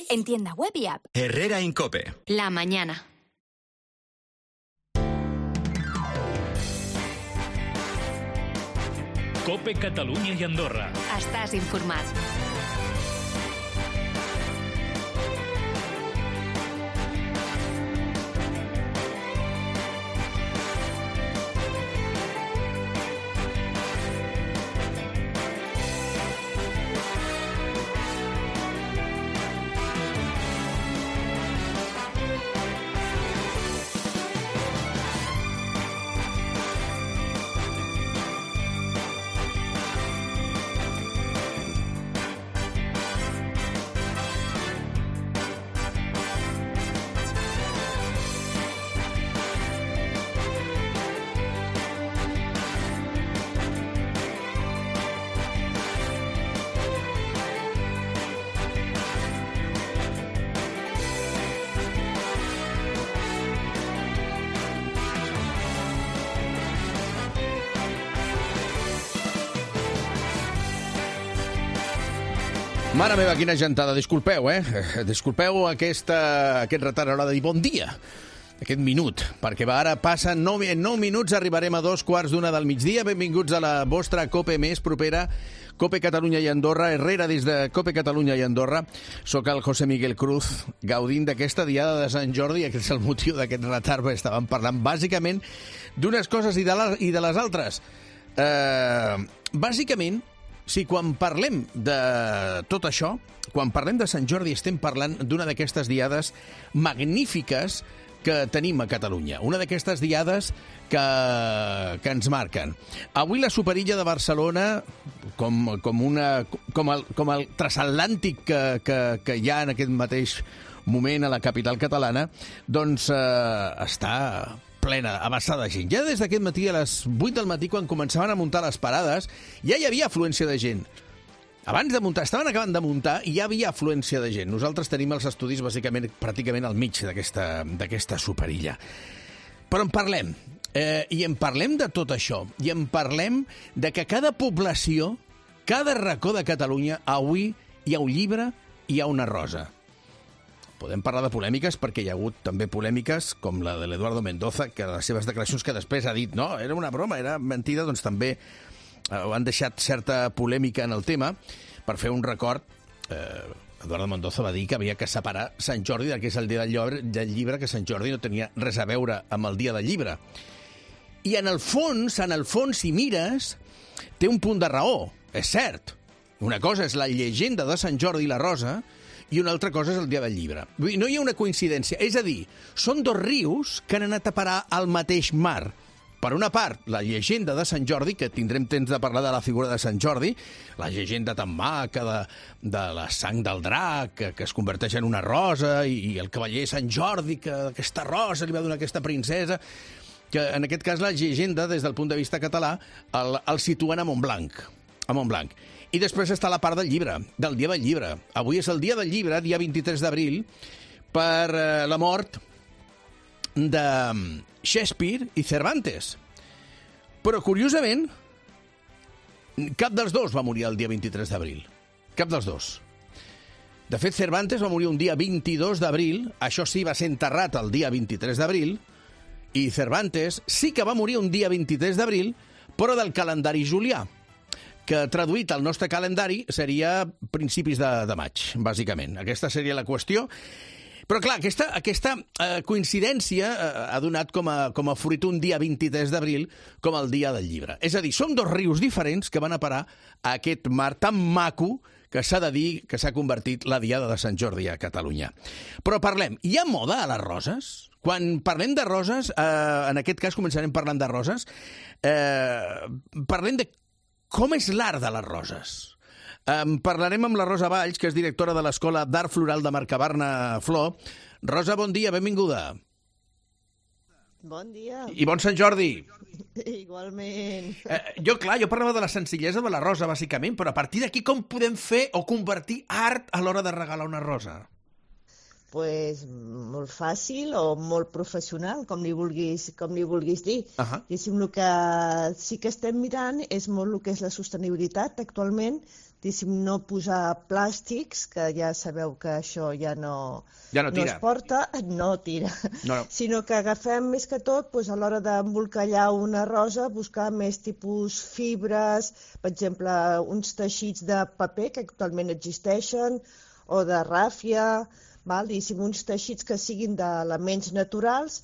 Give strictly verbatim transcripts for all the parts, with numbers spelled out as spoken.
En tienda web y app. Herrera Incope. La mañana. Cope Catalunya i Andorra. Estàs informat. Mare meva, quina gentada. Disculpeu, eh? Disculpeu aquesta, aquest retard a l'hora de dir bon dia. Aquest minut, perquè va, ara passen nou, en nou minuts arribarem a dos quarts d'una del migdia. Benvinguts a la vostra Cope més propera, Cope Catalunya i Andorra. Herrera des de Cope Catalunya i Andorra. Soc el José Miguel Cruz, gaudint d'aquesta diada de Sant Jordi. Aquest és el motiu d'aquest retard, perquè estàvem parlant bàsicament d'unes coses i de, la, i de les altres. Uh, bàsicament, si quan parlem de tot això, quan parlem de Sant Jordi, estem parlant d'una d'aquestes diades magnífiques que tenim a Catalunya. Una d'aquestes diades que, que ens marquen. Avui la Superilla de Barcelona, com, com, una, com, el, com el transatlàntic que, que, que hi ha en aquest mateix moment a la capital catalana, doncs eh, està plena, abassada de gent. Ja des d'aquest matí, a les vuit del matí, quan començaven a muntar les parades, ja hi havia afluència de gent. Abans de muntar, estaven acabant de muntar i ja havia afluència de gent. Nosaltres tenim els estudis, bàsicament, pràcticament al mig d'aquesta d'aquesta superilla. Però en parlem. Eh, I en parlem de tot això. I en parlem de que cada població, cada racó de Catalunya, avui hi ha un llibre i hi ha una rosa. Podem parlar de polèmiques perquè hi ha hagut també polèmiques com la de l'Eduardo Mendoza, que les seves declaracions que després ha dit no, era una broma, era mentida, doncs també eh, han deixat certa polèmica en el tema. Per fer un record, eh, Eduardo Mendoza va dir que havia que separar Sant Jordi del que és el dia del llibre, del llibre, que Sant Jordi no tenia res a veure amb el dia del llibre. I en el fons, en el fons, si mires, té un punt de raó, és cert. Una cosa és la llegenda de Sant Jordi i la Rosa, i una altra cosa és el dia del llibre. Vull dir, no hi ha una coincidència. És a dir, són dos rius que han anat a parar al mateix mar. Per una part, la llegenda de Sant Jordi, que tindrem temps de parlar de la figura de Sant Jordi, la llegenda tan maca de, de la sang del drac, que, que es converteix en una rosa, i, i el cavaller Sant Jordi, que aquesta rosa li va donar aquesta princesa, que en aquest cas la llegenda, des del punt de vista català, el, el situen a Montblanc. A Montblanc. I després està la part del llibre, del dia del llibre. Avui és el dia del llibre, dia vint-i-tres d'abril, per eh, la mort de Shakespeare i Cervantes. Però, curiosament, cap dels dos va morir el dia vint-i-tres d'abril. Cap dels dos. De fet, Cervantes va morir un dia vint-i-dos d'abril, això sí, va ser enterrat el dia vint-i-tres d'abril, i Cervantes sí que va morir un dia vint-i-tres d'abril, però del calendari julià, que traduït al nostre calendari seria principis de, de maig, bàsicament. Aquesta seria la qüestió. Però, clar, aquesta, aquesta eh, coincidència eh, ha donat com a, com a fruit un dia vint-i-tres d'abril com el dia del llibre. És a dir, són dos rius diferents que van a parar a aquest mar tan maco que s'ha de dir que s'ha convertit la diada de Sant Jordi a Catalunya. Però parlem, hi ha moda a les roses? Quan parlem de roses, eh, en aquest cas començarem parlant de roses, eh, parlem de com és l'art de les roses. Um, parlarem amb la Rosa Valls, que és directora de l'Escola d'Art Floral de Mercabarna Flor. Rosa, bon dia, benvinguda. Bon dia. I bon Sant Jordi. Igualment. Eh, jo, clar, jo parlava de la senzillesa de la rosa, bàsicament, però a partir d'aquí com podem fer o convertir art a l'hora de regalar una rosa? Pues molt fàcil o molt professional, com li vulguis, com li vulguis dir. Uh -huh. Diguéssim, el que sí que estem mirant és molt el que és la sostenibilitat actualment no posar plàstics, que ja sabeu que això ja no, ja no, no es porta, no tira, no, no. sinó que agafem més que tot doncs, a l'hora d'embolcallar una rosa, buscar més tipus fibres, per exemple, uns teixits de paper que actualment existeixen, o de ràfia, val? Diguéssim, uns teixits que siguin d'elements naturals,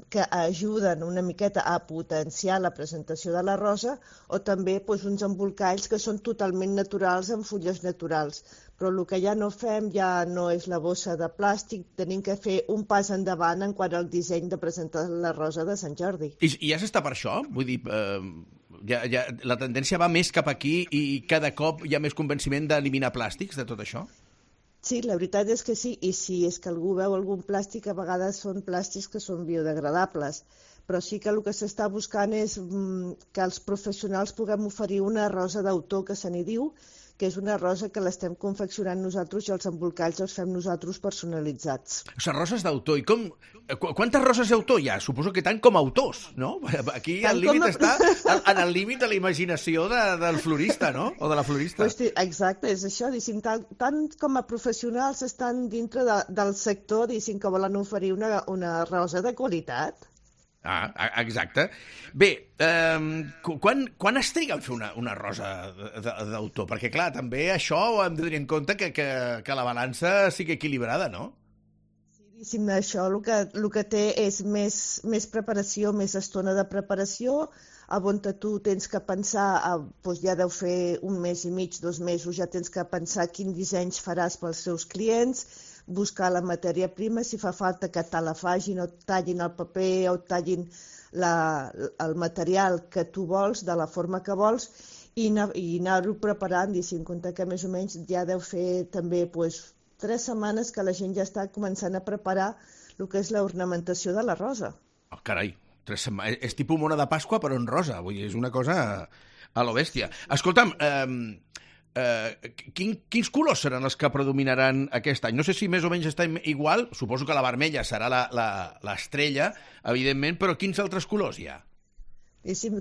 que ajuden una miqueta a potenciar la presentació de la rosa, o també doncs, uns embolcalls que són totalment naturals, amb fulles naturals. Però el que ja no fem ja no és la bossa de plàstic, tenim que fer un pas endavant en quant al disseny de presentar la rosa de Sant Jordi. I, i ja s'està per això? Vull dir, eh, ja, ja, la tendència va més cap aquí i cada cop hi ha més convenciment d'eliminar plàstics de tot això? Sí, la veritat és que sí, i si és que algú veu algun plàstic, a vegades són plàstics que són biodegradables, però sí que el que s'està buscant és que els professionals puguem oferir una rosa d'autor, que se n'hi diu, que és una rosa que l'estem confeccionant nosaltres i els embolcalls els fem nosaltres personalitzats. O sigui, roses d'autor. I com... Quantes roses d'autor hi ha? Suposo que tant com autors, no? Aquí el límit a... està en el límit de la imaginació de, del florista, no? O de la florista. Pues, exacte, és això. Diguéssim, tant, tant com a professionals estan dintre de, del sector, diguéssim, que volen oferir una, una rosa de qualitat. Ah, exacte. Bé, eh, quan, quan es triga a fer una, una rosa d'autor? Perquè, clar, també això ho hem de tenir en compte que, que, que la balança sigui equilibrada, no? Sí, això el que, el que té és més, més preparació, més estona de preparació, a on tu tens que pensar, a, doncs ja deu fer un mes i mig, dos mesos, ja tens que pensar quins dissenys faràs pels seus clients, buscar la matèria prima, si fa falta que te la fagin o tallin el paper o tallin la, el material que tu vols, de la forma que vols, i, anar, i anar-ho preparant, i si en compte que més o menys ja deu fer també pues, tres setmanes que la gent ja està començant a preparar el que és l'ornamentació de la rosa. Oh, carai, tres setmanes. És tipus mona de Pasqua però en rosa, vull dir, és una cosa a lo bèstia. Escolta'm, eh, Uh, quin, quins colors seran els que predominaran aquest any? No sé si més o menys estem igual, suposo que la vermella serà l'estrella, evidentment, però quins altres colors hi ha?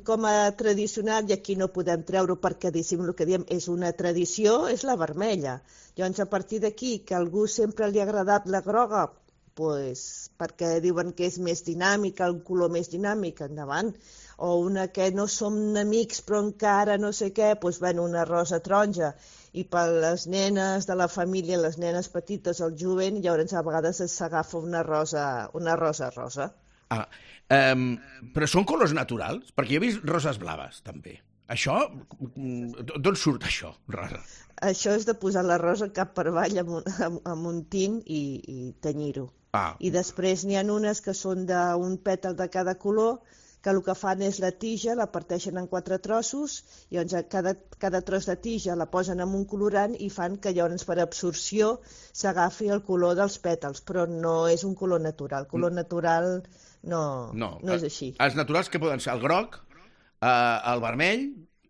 Com a tradicional, i aquí no podem treure perquè el que diem és una tradició, és la vermella. Llavors, a partir d'aquí, que a algú sempre li ha agradat la groga, pues, perquè diuen que és més dinàmica, el color més dinàmic, endavant. O una que no som amics però encara no sé què, doncs, bueno, una rosa taronja. I per les nenes de la família, les nenes petites, el jovent, llavors a vegades s'agafa una rosa, una rosa rosa. Ah, um, però són colors naturals? Perquè jo he vist roses blaves, també. Això, d'on surt això, rosa? Això és de posar la rosa cap per avall amb un, amb, amb un tint i, i tenyir-ho. Ah. I després n'hi ha unes que són d'un pètal de cada color, que el que fan és la tija, la parteixen en quatre trossos, i llavors cada, cada tros de tija la posen en un colorant i fan que llavors per absorció s'agafi el color dels pètals, però no és un color natural. El color natural no, no, no és així. Els naturals que poden ser el groc, eh, el vermell,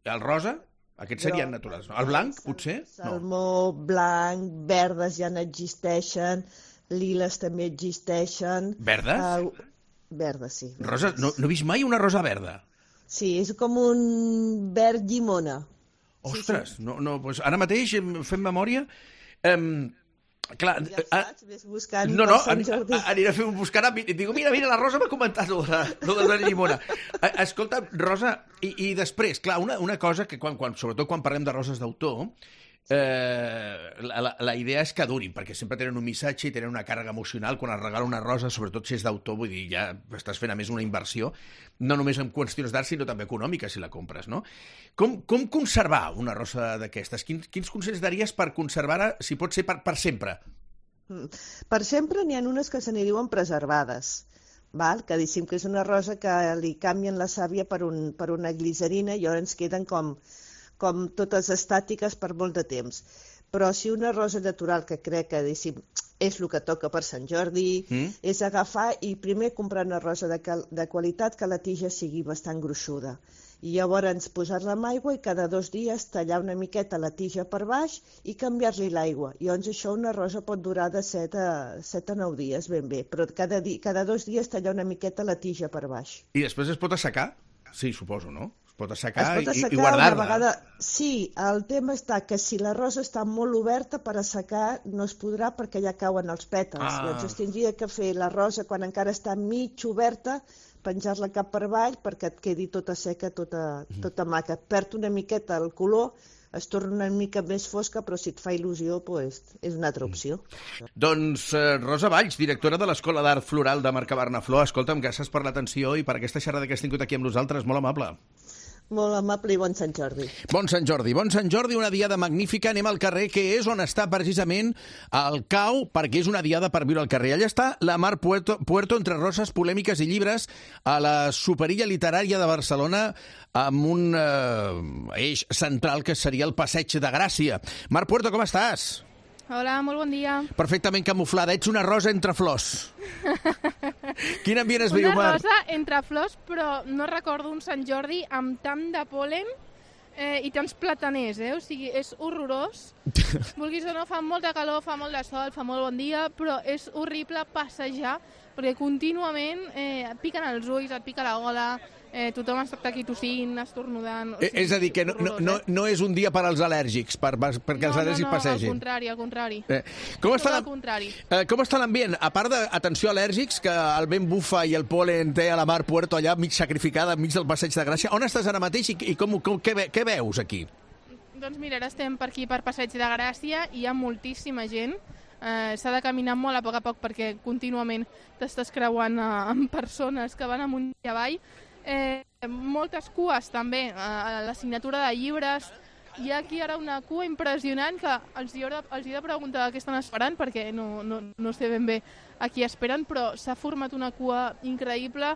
el rosa, aquests serien groc, naturals. No? El blanc, potser? Salmó, no. Blanc, verdes ja n'existeixen, liles també existeixen. Verdes? Uh, Verda, sí. Rosa, no, no he vist mai una rosa verda. Sí, és com un verd llimona. Ostres, sí, sí. no, no, doncs ara mateix fem memòria. Um, clar, ja saps, ves buscant no, no, per Sant Jordi. Aniré a fer un buscar. Digo, mira, mira, la Rosa m'ha comentat lo de, lo de la llimona. Escolta, Rosa, i, i després, clar, una, una cosa que, quan, quan, sobretot quan parlem de roses d'autor, Eh, la, la, la idea és que durin, perquè sempre tenen un missatge i tenen una càrrega emocional. Quan es regala una rosa, sobretot si és d'autor, vull dir, ja estàs fent a més una inversió, no només en qüestions d'art, sinó també econòmica, si la compres, no? Com, com conservar una rosa d'aquestes? Quins, quins consells daries per conservar-la, si pot ser per, per sempre? Per sempre n'hi ha unes que se n'hi diuen preservades, val? Que diguéssim que és una rosa que li canvien la sàvia per, un, per una glicerina i llavors queden com... com totes estàtiques per molt de temps. Però si una rosa natural, que crec que diguéssim, és el que toca per Sant Jordi, mm. és agafar i primer comprar una rosa de, de qualitat que la tija sigui bastant gruixuda. I llavors posar-la amb aigua i cada dos dies tallar una miqueta la tija per baix i canviar-li l'aigua. I llavors això una rosa pot durar de set a nou dies ben bé, però cada, di, cada dos dies tallar una miqueta la tija per baix. I després es pot assecar? Sí, suposo, no? pot assecar, es pot assecar i, i guardar-la. una vegada... Sí, el tema està que si la rosa està molt oberta per assecar no es podrà perquè ja cauen els pètals. Ah. Llavors es tindria que fer la rosa quan encara està mig oberta, penjar-la cap per avall perquè et quedi tota seca, tota, tota maca. Perd una miqueta el color, es torna una mica més fosca, però si et fa il·lusió, pues, és una altra opció. Mm. Doncs eh, Rosa Valls, directora de l'Escola d'Art Floral de Marca Bernaflor, escolta'm, gràcies per l'atenció i per aquesta xerrada que has tingut aquí amb nosaltres, molt amable. Molt amable i bon Sant Jordi. Bon Sant Jordi. Bon Sant Jordi, una diada magnífica. Anem al carrer, que és on està precisament el cau, perquè és una diada per viure al carrer. Allà està la Mar Puerto, Puerto entre roses, polèmiques i llibres, a la Superilla Literària de Barcelona, amb un eh, eix central que seria el Passeig de Gràcia. Mar Puerto, com estàs? Hola, molt bon dia. Perfectament camuflada. Ets una rosa entre flors. Quin ambient es viu, Mar? Una rosa entre flors, però no recordo un Sant Jordi amb tant de pol·len eh, i tants plataners, eh? O sigui, és horrorós. Vulguis o no, fa molta calor, fa molt de sol, fa molt bon dia, però és horrible passejar, perquè contínuament eh, et piquen els ulls, et pica la gola, eh, tothom està aquí tossint, estornudant... O sigui, és a dir, que no, no, no, no és un dia per als al·lèrgics, per, perquè els no, al·lèrgics no, no, passegin. al contrari, al contrari. Eh, com, està Tot la... al contrari. eh, com està l'ambient? A part d'atenció al·lèrgics, que el vent bufa i el pol·len té a la Mar Puerto allà mig sacrificada, mig del Passeig de Gràcia, on estàs ara mateix i, i com, com, què, ve, què veus aquí? Doncs mira, ara estem per aquí per Passeig de Gràcia, hi ha moltíssima gent. Eh, s'ha de caminar molt a poc a poc perquè contínuament t'estàs creuant eh, amb persones que van amunt i avall. Eh, moltes cues també, eh, a la signatura de llibres. Hi ha aquí ara una cua impressionant que els hi he de, els hi he de preguntar què estan esperant perquè no, no, no sé ben bé a qui esperen, però s'ha format una cua increïble.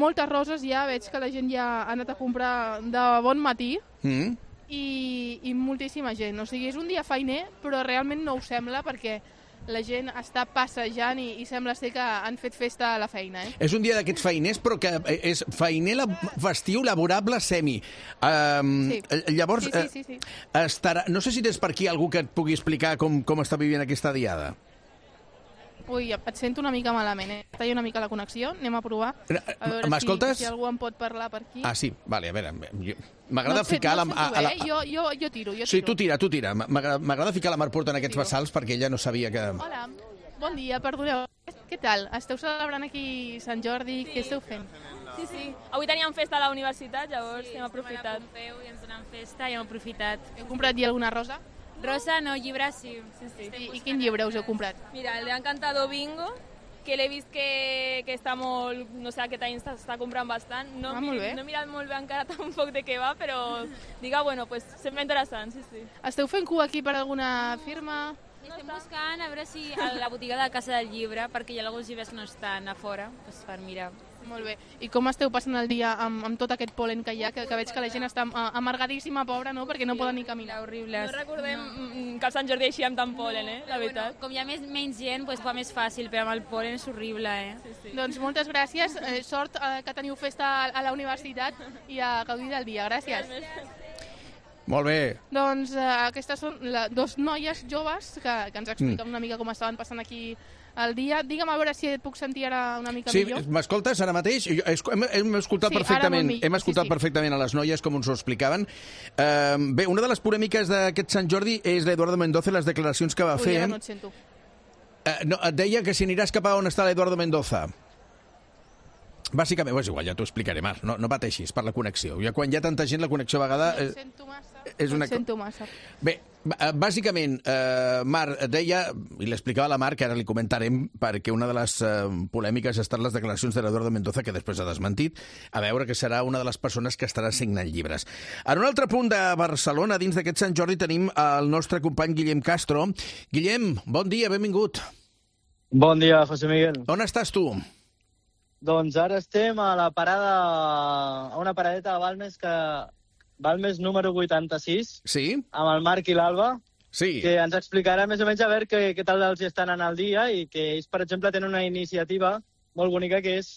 Moltes roses ja, veig que la gent ja ha anat a comprar de bon matí. Mm. I, i moltíssima gent. O sigui, és un dia feiner, però realment no ho sembla perquè la gent està passejant i, i sembla ser que han fet festa a la feina. Eh? És un dia d'aquests feiners, però que és feiner la, festiu, laborable, semi. Um, sí. Llavors, sí, sí, sí, sí. Estarà... no sé si tens per aquí algú que et pugui explicar com, com està vivint aquesta diada. Ui, et sento una mica malament, eh? Està una mica la connexió, anem a provar. A veure M'escoltes? si, si algú en pot parlar per aquí. Ah, sí, vale, a veure, m'agrada no sé, ficar... No la, sé tu, a, a la... eh? jo, jo, jo tiro, jo tiro. Sí, tu tira, tu tira. M'agrada ficar la Mar Puerto en aquests Tiro. vessals perquè ella no sabia que... Hola, bon dia, perdoneu. Què tal? Esteu celebrant aquí Sant Jordi? Sí. Què esteu fent? Sí, sí. Avui teníem festa a la universitat, llavors sí, hem aprofitat. Sí, i ens donem festa i hem aprofitat. Heu comprat ja alguna rosa? Rosa, no, llibre sí. sí, sí. I, I quin llibre us heu comprat? Mira, el de Encantador Bingo, que l'he vist que, que està molt, no sé, aquest any està comprant bastant. No, ah, mi, no he mirat molt bé encara tampoc de què va, però diga, bueno, pues sembla interessant, sí, sí. Esteu fent cua aquí per alguna firma? Estem buscant a veure si a la botiga de Casa del Llibre, perquè hi ha alguns llibres que no estan a fora, doncs per mirar. Molt bé. I com esteu passant el dia amb, amb tot aquest pol·len que hi ha, que, que veig que la gent està amargadíssima, pobra, no? Perquè no poden ni caminar. Horribles. No recordem no. que el Sant Jordi així amb tant pol·len, eh? La veritat. Bueno, com hi ha més, menys gent, doncs fa més fàcil, però amb el pol·len és horrible, eh? Sí, sí. Doncs moltes gràcies. Eh, sort eh, que teniu festa a, a la universitat i a gaudir del dia. Gràcies. Molt bé. Doncs eh, aquestes són la, dos noies joves que, que ens expliquen mm. una mica com estaven passant aquí el dia. Digue'm a veure si et puc sentir ara una mica sí, millor. Sí, m'escoltes ara mateix? Jo, hem, hem escoltat sí, perfectament, millor, hem escoltat sí, sí. perfectament a les noies com ens ho explicaven. Uh, bé, una de les polèmiques d'aquest Sant Jordi és l'Eduardo Mendoza i les declaracions que va Ui, fer. Ui, no et sento. Uh, no, et deia que si aniràs cap a on està l'Eduardo Mendoza. Bàsicament, és igual, ja t'ho explicaré, Mar, no, no pateixis per la connexió. Ja quan hi ha tanta gent, la connexió a vegada... No et sento massa, és una... no et sento massa. Bé, bàsicament, eh, Mar deia, i l'explicava a la Mar, que ara li comentarem, perquè una de les eh, polèmiques ha estat les declaracions de l'Eduardo Mendoza, que després ha desmentit, a veure que serà una de les persones que estarà signant llibres. En un altre punt de Barcelona, dins d'aquest Sant Jordi, tenim el nostre company Guillem Castro. Guillem, bon dia, benvingut. Bon dia, José Miguel. On estàs tu? Doncs ara estem a la parada, a una paradeta de Balmes, que Balmes número vuitanta-sis, sí? Amb el Marc i l'Alba, sí. Que ens explicarà més o menys a veure què, què tal els estan anant al dia i que ells, per exemple, tenen una iniciativa molt bonica que és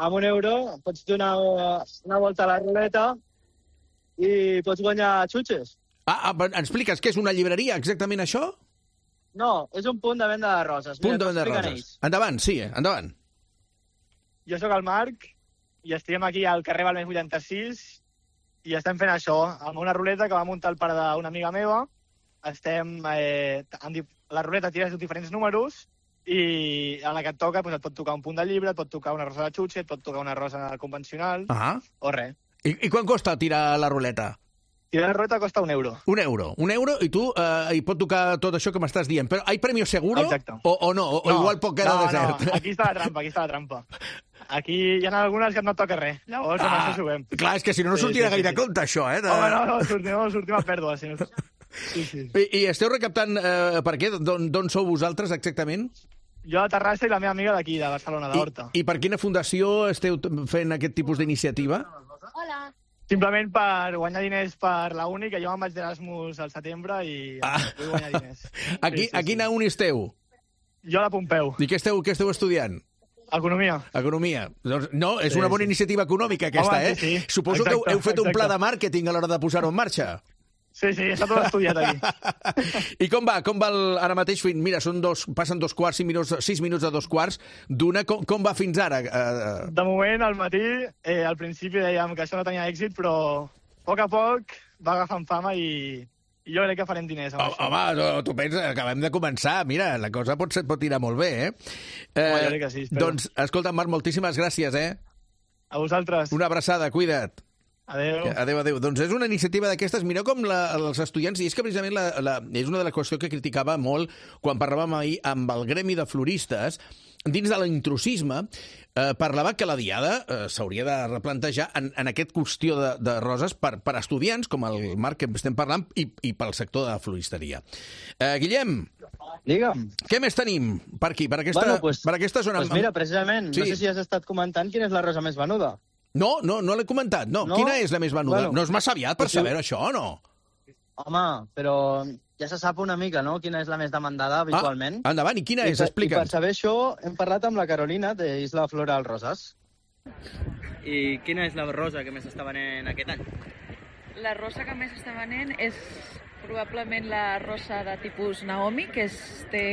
amb un euro pots donar una volta a la ruleta i pots guanyar xutxes. Ah, ah, ens expliques què és una llibreria, exactament això? No, és un punt de venda de roses. Punt Mira, de venda de roses. Ells. Endavant, sí, endavant. Jo sóc el Marc i estem aquí al carrer Balmes vuitanta-sis i estem fent això, amb una ruleta que va muntar el pare d'una amiga meva. Estem, eh, amb la ruleta tires diferents números i a la que et toca doncs et pot tocar un punt de llibre, et pot tocar una rosa de xutxe, et pot tocar una rosa convencional, ah. o res. I, I quan costa tirar la ruleta? Tirar la ruleta costa un euro. Un euro. Un euro i tu eh, hi pot tocar tot això que m'estàs dient. Però hi premio seguro? Exacte. O, o no? O, no, o igual pot quedar no, desert? No, aquí està la trampa, aquí està la trampa. Aquí hi ha algunes que no toca res. Llavors, ah, amb això juguem. Clar, és que si no, no sortirà sí, sí, gaire sí. compte, això, eh? De... Home, no, no, sortim, no, sortim a pèrdua. Si no... sí, sí. I, I esteu recaptant eh, per què? D'on sou vosaltres, exactament? Jo a Terrassa i la meva amiga d'aquí, de Barcelona, d'Horta. I, I per quina fundació esteu fent aquest tipus d'iniciativa? Hola. Simplement per guanyar diners per la uni, que jo me'n vaig d'Erasmus al setembre i ah. vull guanyar diners. Aquí, sí, sí, a quina sí. uni esteu? Jo a la Pompeu. I què esteu, què esteu estudiant? Economia. Economia. Doncs, no, és sí, una bona sí. iniciativa econòmica, aquesta, Home, eh? sí, sí. Suposo exacte, que heu, heu fet exacte. un pla de màrqueting a l'hora de posar-ho en marxa. Sí, sí, està tot estudiat aquí. I com va? Com va el, ara mateix? Mira, són dos, passen dos quarts, cinc minuts, sis minuts de dos quarts d'una. Com, com va fins ara? Uh... De moment, al matí, eh, al principi dèiem que això no tenia èxit, però a poc a poc va agafant fama i, i jo crec que farem diners amb oh, això. Home, no, tu penses, acabem de començar. Mira, la cosa pot, ser, pot tirar molt bé, eh? eh home, jo crec que sí, espero. Doncs, escolta, Marc, moltíssimes gràcies, eh? A vosaltres. Una abraçada, cuida't. Adéu. Adéu, adéu. Doncs és una iniciativa d'aquestes. Mireu com la, els estudiants... I és que precisament la, la, és una de les qüestions que criticava molt quan parlàvem ahir amb el gremi de floristes. Dins de l'intrusisme, eh, parlava que la diada eh, s'hauria de replantejar en, en aquest qüestió de, de roses per, per estudiants, com el Marc que estem parlant, i, i pel sector de la floristeria. Eh, Guillem, digue'm. Què més tenim per aquí, per aquesta, bueno, pues, per aquesta zona? Pues mira, precisament, sí. no sé si has estat comentant quina és la rosa més venuda. No, no, no l'he comentat. No. no. Quina és la més venuda? Bueno, no és massa aviat per saber això, o no? Home, però ja se sap una mica, no?, quina és la més demandada habitualment. Ah, endavant, i quina I és? Explica'ns. I per saber això hem parlat amb la Carolina de Isla Floral Roses. I quina és la rosa que més està venent aquest any? La rosa que més està venent és probablement la rosa de tipus Naomi, que és, té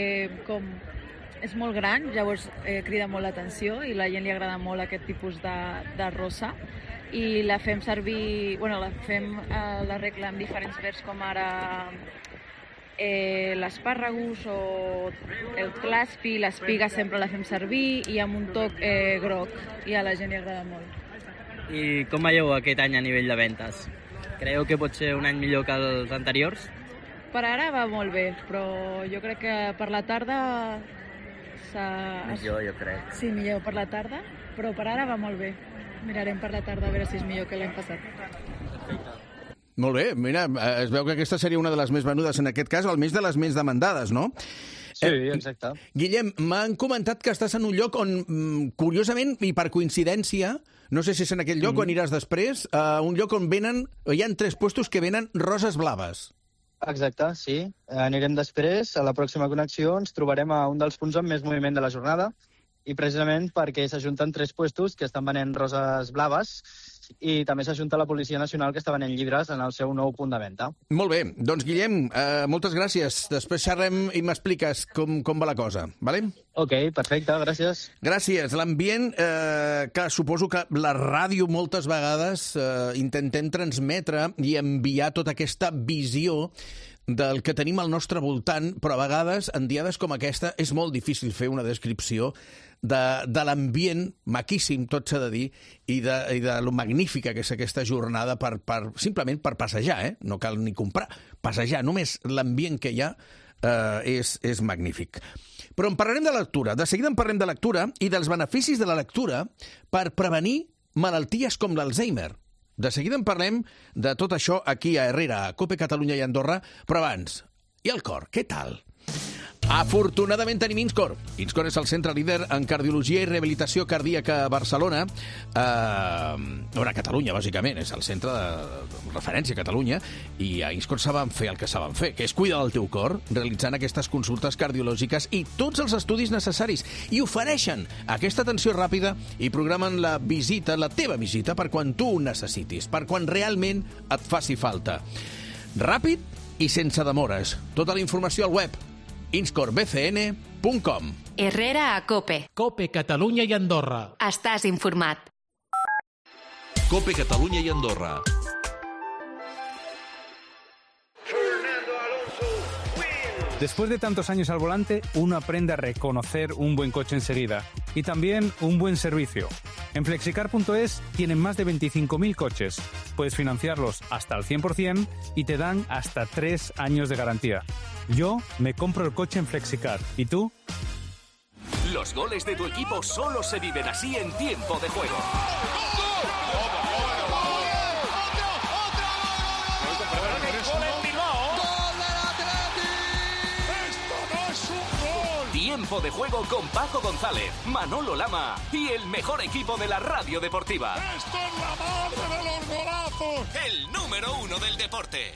com... és molt gran, llavors eh, crida molt l'atenció i la gent li agrada molt aquest tipus de, de rosa. I la fem servir, bueno, la fem eh, la regla amb diferents verds com ara eh, l'espàrregus o el claspi, l'espiga sempre la fem servir i amb un toc eh, groc i a la gent li agrada molt. I com veieu aquest any a nivell de ventes? Creieu que pot ser un any millor que els anteriors? Per ara va molt bé, però jo crec que per la tarda... Millor, jo crec. Sí, millor per la tarda, però per ara va molt bé. Mirarem per la tarda a veure si és millor que l'any passat. Molt bé, mira, es veu que aquesta seria una de les més venudes en aquest cas, almenys de les més demandades, no? Sí, exacte. Eh, Guillem, m'han comentat que estàs en un lloc on, curiosament, i per coincidència, no sé si és en aquell lloc mm. o aniràs després, uh, un lloc on venen, hi ha tres puestos que venen roses blaves. Exacte, sí. Anirem després, a la pròxima connexió ens trobarem a un dels punts amb més moviment de la jornada i precisament perquè s'ajunten tres puestos que estan venent roses blaves i també s'ajunta la Policia Nacional que està venent llibres en el seu nou punt de venda. Molt bé. Doncs, Guillem, eh, moltes gràcies. Després xerrem i m'expliques com, com va la cosa, vale? Ok, perfecte, gràcies. Gràcies. L'ambient eh, que suposo que la ràdio moltes vegades eh, intentem transmetre i enviar tota aquesta visió del que tenim al nostre voltant, però a vegades, en diades com aquesta, és molt difícil fer una descripció de, de l'ambient, maquíssim, tot s'ha de dir, i de, i de lo magnífica que és aquesta jornada per, per, simplement per passejar, eh? No cal ni comprar, passejar, només l'ambient que hi ha eh, és, és magnífic. Però en parlarem de lectura, de seguida en parlem de lectura i dels beneficis de la lectura per prevenir malalties com l'Alzheimer. De seguida en parlem de tot això aquí a Herrera, a COPE Catalunya i Andorra, però abans, i el cor, què tal? Afortunadament tenim Inscor. Inscor és el centre líder en cardiologia i rehabilitació cardíaca a Barcelona, eh, a Catalunya, bàsicament, és el centre de referència a Catalunya, i a Inscor saben fer el que saben fer, que és cuidar del teu cor, realitzant aquestes consultes cardiològiques i tots els estudis necessaris, i ofereixen aquesta atenció ràpida i programen la visita, la teva visita, per quan tu ho necessitis, per quan realment et faci falta. Ràpid i sense demores. Tota la informació al web inscor b c n punt com. Herrera a COPE. COPE Catalunya i Andorra. Estàs informat. COPE Catalunya i Andorra. Después de tantos años al volante, uno aprende a reconocer un buen coche enseguida y también un buen servicio. En flexicar punto es tienen más de veinticinco mil coches. Puedes financiarlos hasta al cien por ciento y te dan hasta tres años de garantía. Yo me compro el coche en Flexicar. ¿Y tú? Los goles de tu equipo solo se viven así en Tiempo de Juego. Tiempo de Juego con Paco González, Manolo Lama y el mejor equipo de la radio deportiva. ¡Esto es la madre de los golazos! El número uno del deporte.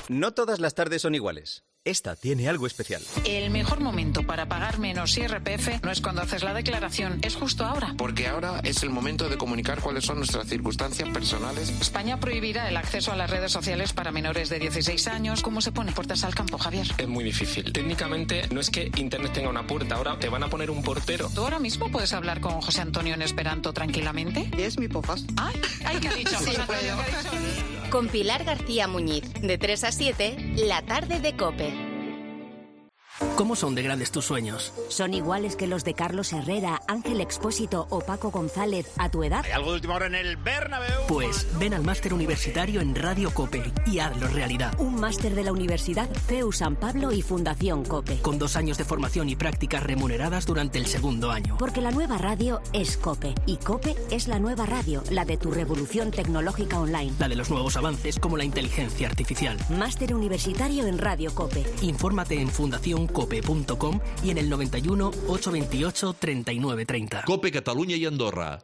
No todas las tardes son iguales. Esta tiene algo especial. El mejor momento para pagar menos I R P F no es cuando haces la declaración, es justo ahora. Porque ahora es el momento de comunicar cuáles son nuestras circunstancias personales. España prohibirá el acceso a las redes sociales para menores de dieciséis años. ¿Cómo se pone puertas al campo, Javier? Es muy difícil. Técnicamente no es que Internet tenga una puerta, ahora te van a poner un portero. ¿Tú ahora mismo puedes hablar con José Antonio en esperanto tranquilamente? Es mi pofas. Ay, ay, ¿qué ha dicho? Sí, José Antonio, ¿qué ha dicho? Con Pilar García Muñiz, de tres a siete, la tarde de COPE. ¿Cómo son de grandes tus sueños? ¿Son iguales que los de Carlos Herrera, Ángel Expósito o Paco González a tu edad? ¿Hay algo de última hora en el Bernabéu? Pues ven al máster universitario en Radio COPE y hazlo realidad. Un máster de la Universidad C E U San Pablo y Fundación COPE. Con dos años de formación y prácticas remuneradas durante el segundo año. Porque la nueva radio es COPE y COPE es la nueva radio, la de tu revolución tecnológica online. La de los nuevos avances como la inteligencia artificial. Máster universitario en Radio COPE. Infórmate en fundación cope punto com y en el noventa y uno, ochocientos veintiocho, treinta y nueve treinta. COPE Catalunya i Andorra.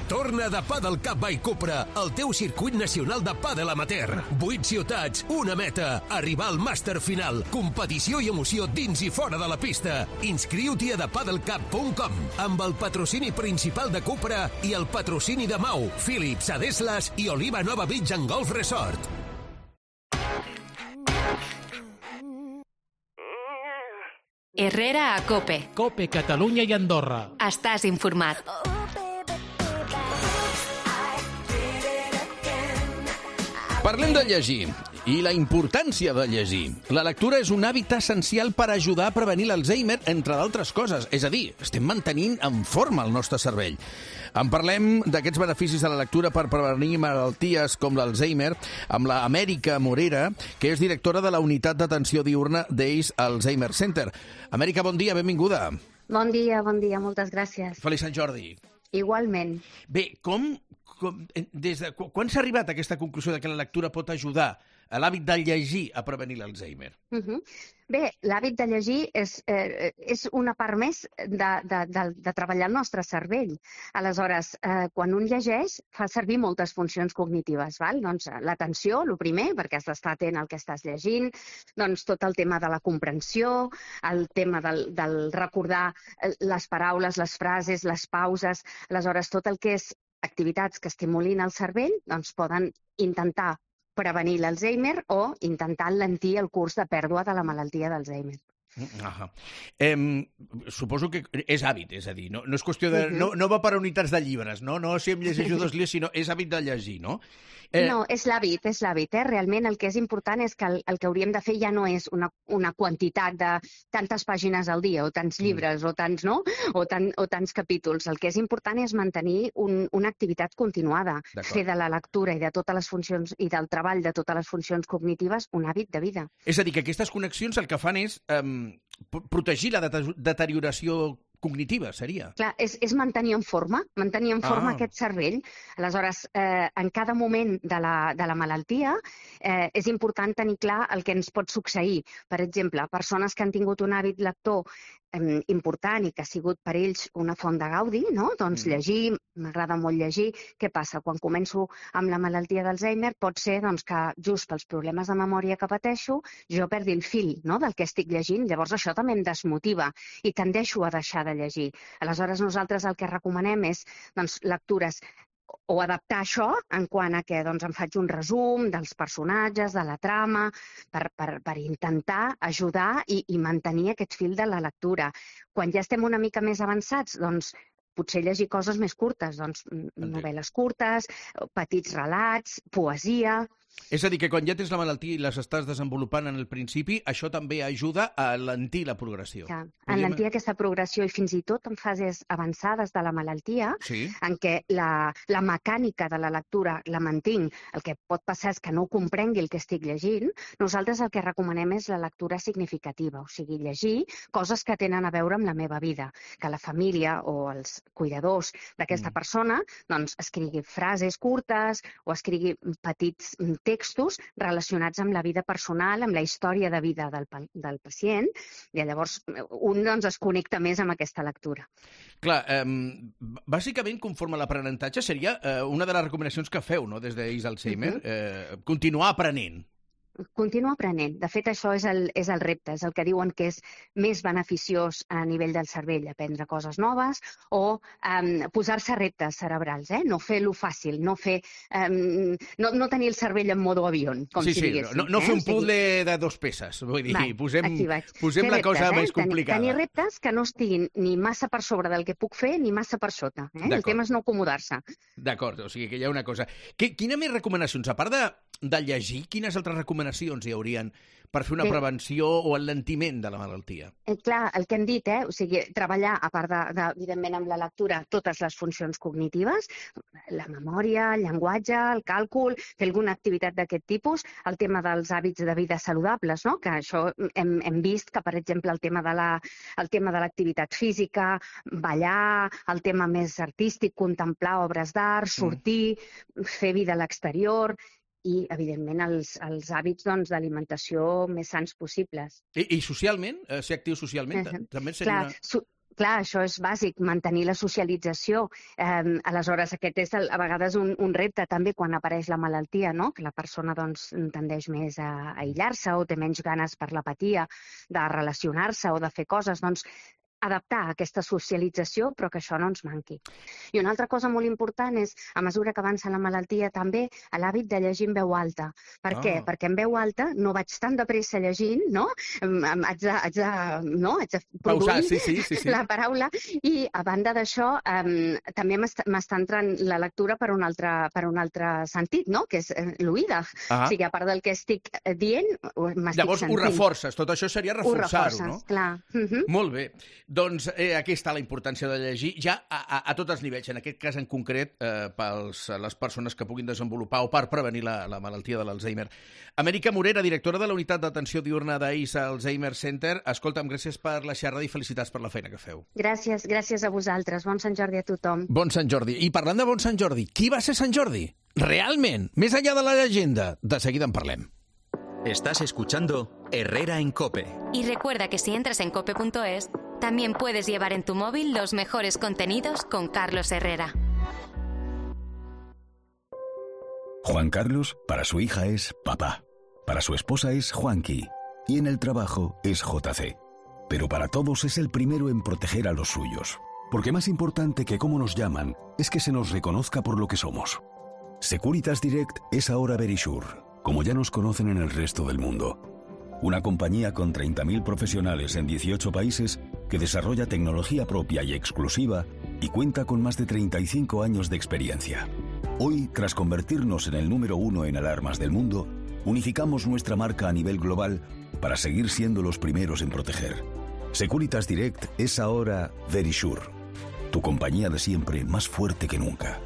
Torna de Padel Cup by Cupra, el teu circuit nacional de pàdel amateur. Vuit ciutats, una meta, arribar al màster final. Competició i emoció dins i fora de la pista. Inscriu-t'hi a the padel cup punt com amb el patrocini principal de Cupra i el patrocini de Mau, Philips, Adeslas i Oliva Nova Beach and Golf Resort. Herrera a COPE. COPE Catalunya i Andorra. Estàs informat. Parlem de llegir i la importància de llegir. La lectura és un hàbit essencial per ajudar a prevenir l'Alzheimer, entre d'altres coses. És a dir, estem mantenint en forma el nostre cervell. En parlem d'aquests beneficis de la lectura per prevenir malalties com l'Alzheimer amb la Amèrica Morera, que és directora de la Unitat d'Atenció Diurna d'Ace Alzheimer Center. Amèrica, bon dia, benvinguda. Bon dia, bon dia, moltes gràcies. Feliç Sant Jordi. Igualment. Bé, com, com des de, quan s'ha arribat a aquesta conclusió de que la lectura pot ajudar a l'hàbit de llegir a prevenir l'Alzheimer? Uh -huh. Bé, l'hàbit de llegir és, eh, és una part més de, de, de, de treballar el nostre cervell. Aleshores, eh, quan un llegeix, fa servir moltes funcions cognitives. Val? Doncs l'atenció, el primer, perquè has d'estar atent al que estàs llegint, doncs tot el tema de la comprensió, el tema del, del recordar les paraules, les frases, les pauses. Aleshores, tot el que és activitats que estimulin el cervell, doncs poden intentar prevenir l'Alzheimer o intentar lentir el curs de pèrdua de la malaltia d'Alzheimer. Ah, eh, suposo que és hàbit, és a dir, no, no és qüestió de... Uh -huh. no, no va per unitats de llibres, no? No si em llegeixo dos llibres, sinó és hàbit de llegir, no? Eh... No, és l'hàbit, és l'hàbit. Eh? Realment el que és important és que el, el que hauríem de fer ja no és una, una quantitat de tantes pàgines al dia, o tants llibres, mm. o tants, no? O, tan, o tants capítols. El que és important és mantenir un, una activitat continuada, fer de la lectura i de totes les funcions i del treball de totes les funcions cognitives un hàbit de vida. És a dir, que aquestes connexions el que fan és eh, protegir la deterioració cognitiva, seria? Clar, és, és mantenir en forma, mantenir en forma ah. aquest cervell. Aleshores, eh, en cada moment de la, de la malaltia eh, és important tenir clar el que ens pot succeir. Per exemple, persones que han tingut un hàbit lector eh, important i que ha sigut per ells una font de gaudi, no? Doncs mm. llegir, m'agrada molt llegir. Què passa? Quan començo amb la malaltia d'Alzheimer pot ser doncs, que just pels problemes de memòria que pateixo jo perdi el fil, no? Del que estic llegint. Llavors això també em desmotiva i tendeixo a deixar de llegir. Aleshores, nosaltres el que recomanem és doncs, lectures o adaptar això en quant a que doncs, em faig un resum dels personatges, de la trama, per, per, per intentar ajudar i, i mantenir aquest fil de la lectura. Quan ja estem una mica més avançats, doncs potser llegir coses més curtes, doncs novel·les curtes, petits relats, poesia. És a dir, que quan ja tens la malaltia i les estàs desenvolupant en el principi, això també ajuda a alentir la progressió. Ja, alentir aquesta progressió i fins i tot en fases avançades de la malaltia, sí. en què la, la mecànica de la lectura la mantinc, el que pot passar és que no comprengui el que estic llegint, nosaltres el que recomanem és la lectura significativa, o sigui, llegir coses que tenen a veure amb la meva vida, que la família o els cuidadors d'aquesta mm. persona doncs, escrigui frases curtes o escrigui petits textos relacionats amb la vida personal, amb la història de vida del, del pacient, i llavors un doncs, es connecta més amb aquesta lectura. Clar, eh, bàsicament, conforme a l'aprenentatge, seria eh, una de les recomanacions que feu, no?, des d'Is Alzheimer, uh-huh. eh, continuar aprenent. Continua aprenent. De fet, això és el, és el repte, és el que diuen que és més beneficiós a nivell del cervell, aprendre coses noves o um, posar-se reptes cerebrals, eh? No fer-lo fàcil, no fer um, no, no tenir el cervell en modo avió, com sí, si sí, diguéssim. No, no eh? fer un puzzle de dos peces, vull dir, Val, posem, posem la reptes, cosa eh? més complicada. Tenir reptes que no estiguin ni massa per sobre del que puc fer ni massa per sota. Eh? El tema és no acomodar-se. D'acord, o sigui que hi ha una cosa. Que, quina més recomanacions? A part de, de llegir, quines altres recomanacions hi haurien per fer una Bé, prevenció o alentiment de la malaltia? Eh, clar, el que hem dit, eh? O sigui, treballar, a part, de, de, evidentment, amb la lectura, totes les funcions cognitives, la memòria, el llenguatge, el càlcul, fer alguna activitat d'aquest tipus, el tema dels hàbits de vida saludables, no? Que això hem, hem vist que, per exemple, el tema de la, el tema de l'activitat física, ballar, el tema més artístic, contemplar obres d'art, sortir, mm. fer vida a l'exterior, i, evidentment, els, els hàbits doncs, d'alimentació més sans possibles. I, i socialment? Eh, ser actiu socialment? Uh-huh. També seria Clar, una... Su Clar, això és bàsic, mantenir la socialització. Eh, aleshores, aquest és el, a vegades un, un repte també quan apareix la malaltia, no? Que la persona doncs, tendeix més a, a aïllar-se o té menys ganes per l'apatia de relacionar-se o de fer coses. Doncs adaptar aquesta socialització, però que això no ens manqui. I una altra cosa molt important és, a mesura que avança la malaltia, també l'hàbit de llegir en veu alta. Per oh. què? Perquè en veu alta no vaig tan de pressa llegint, no? Haig de, haig de, no? haig de produir Pausar, sí, sí, sí, sí. la paraula, i a banda d'això um, també m'està entrant la lectura per un altre, per un altre sentit, no? Que és l'oïda. Ah. O sigui, a part del que estic dient, m'estic Llavors sentint. Ho reforces, tot això seria reforçar-ho, no? Clar. Uh-huh. Molt bé. Doncs eh, aquí està la importància de llegir, ja a, a, a tots els nivells, en aquest cas en concret, eh, pels les persones que puguin desenvolupar o per prevenir la, la malaltia de l'Alzheimer. Amèrica Morera, directora de la Unitat d'Atenció Diurna d'Is Alzheimer Center. Escolta'm, gràcies per la xerrada i felicitats per la feina que feu. Gràcies, gràcies a vosaltres. Bon Sant Jordi a tothom. Bon Sant Jordi. I parlant de bon Sant Jordi, qui va ser Sant Jordi? Realment, més enllà de la llegenda. De seguida en parlem. Estás escuchando Herrera en COPE. Y recuerda que si entras en cope punto es, también puedes llevar en tu móvil los mejores contenidos con Carlos Herrera. Juan Carlos, para su hija es papá. Para su esposa es Juanqui. Y en el trabajo es J C. Pero para todos es el primero en proteger a los suyos. Porque más importante que cómo nos llaman es que se nos reconozca por lo que somos. Securitas Direct es ahora Verisure, como ya nos conocen en el resto del mundo. Una compañía con treinta mil profesionales en dieciocho países que desarrolla tecnología propia y exclusiva y cuenta con más de treinta y cinco años de experiencia. Hoy, tras convertirnos en el número uno en alarmas del mundo, unificamos nuestra marca a nivel global para seguir siendo los primeros en proteger. Securitas Direct es ahora Verisure, tu compañía de siempre más fuerte que nunca.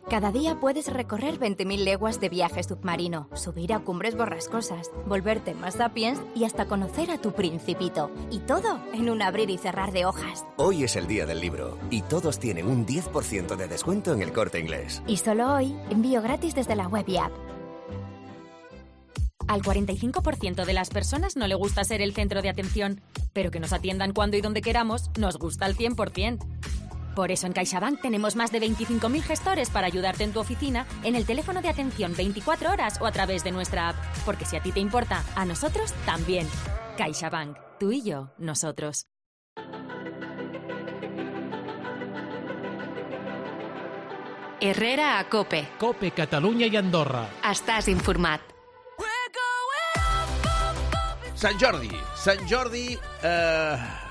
Cada día puedes recorrer veinte mil leguas de viaje submarino, subir a cumbres borrascosas, volverte más sapiens y hasta conocer a tu principito. Y todo en un abrir y cerrar de hojas. Hoy es el día del libro y todos tienen un diez por ciento de descuento en El Corte Inglés. Y solo hoy, envío gratis desde la web y app. Al cuarenta y cinco por ciento de las personas no le gusta ser el centro de atención, pero que nos atiendan cuando y donde queramos nos gusta al cien por ciento. Por eso en CaixaBank tenemos más de veinticinco mil gestores para ayudarte en tu oficina, en el teléfono de atención veinticuatro horas o a través de nuestra app. Porque si a ti te importa, a nosotros también. CaixaBank. Tú y yo, nosotros. Herrera a COPE. COPE, Catalunya i Andorra. Estàs informat. Sant Jordi. Sant Jordi... Eh...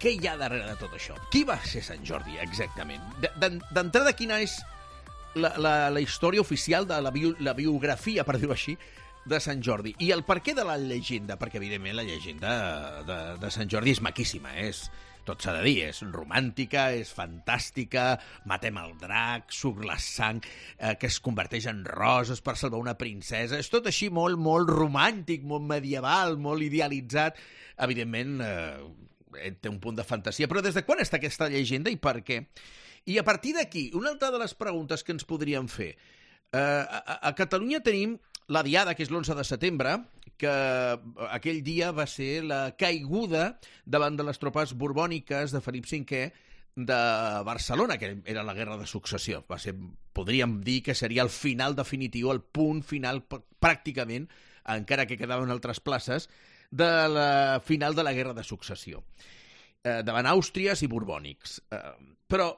Què hi ha darrere de tot això? Qui va ser Sant Jordi, exactament? D'entrada, quina és la, la, la història oficial de la, bio, la biografia, per dir-ho així, de Sant Jordi. I el perquè de la llegenda, perquè evidentment la llegenda de, de Sant Jordi és maquíssima, és, tot s'ha de dir, és romàntica, és fantàstica, matem el drac, surt la sang, eh, que es converteix en roses per salvar una princesa, és tot així molt, molt romàntic, molt medieval, molt idealitzat. Evidentment, eh, té un punt de fantasia, però des de quan està aquesta llegenda i per què? I a partir d'aquí, una altra de les preguntes que ens podríem fer, eh, a, a Catalunya tenim la Diada, que és l'onze de setembre, que aquell dia va ser la caiguda davant de les tropes borbòniques de Felip cinquè de Barcelona, que era la Guerra de Successió. Va ser, podríem dir que seria el final definitiu, el punt final pràcticament, encara que quedaven altres places, de la final de la Guerra de Successió, eh, davant àustries i borbònics. Eh, però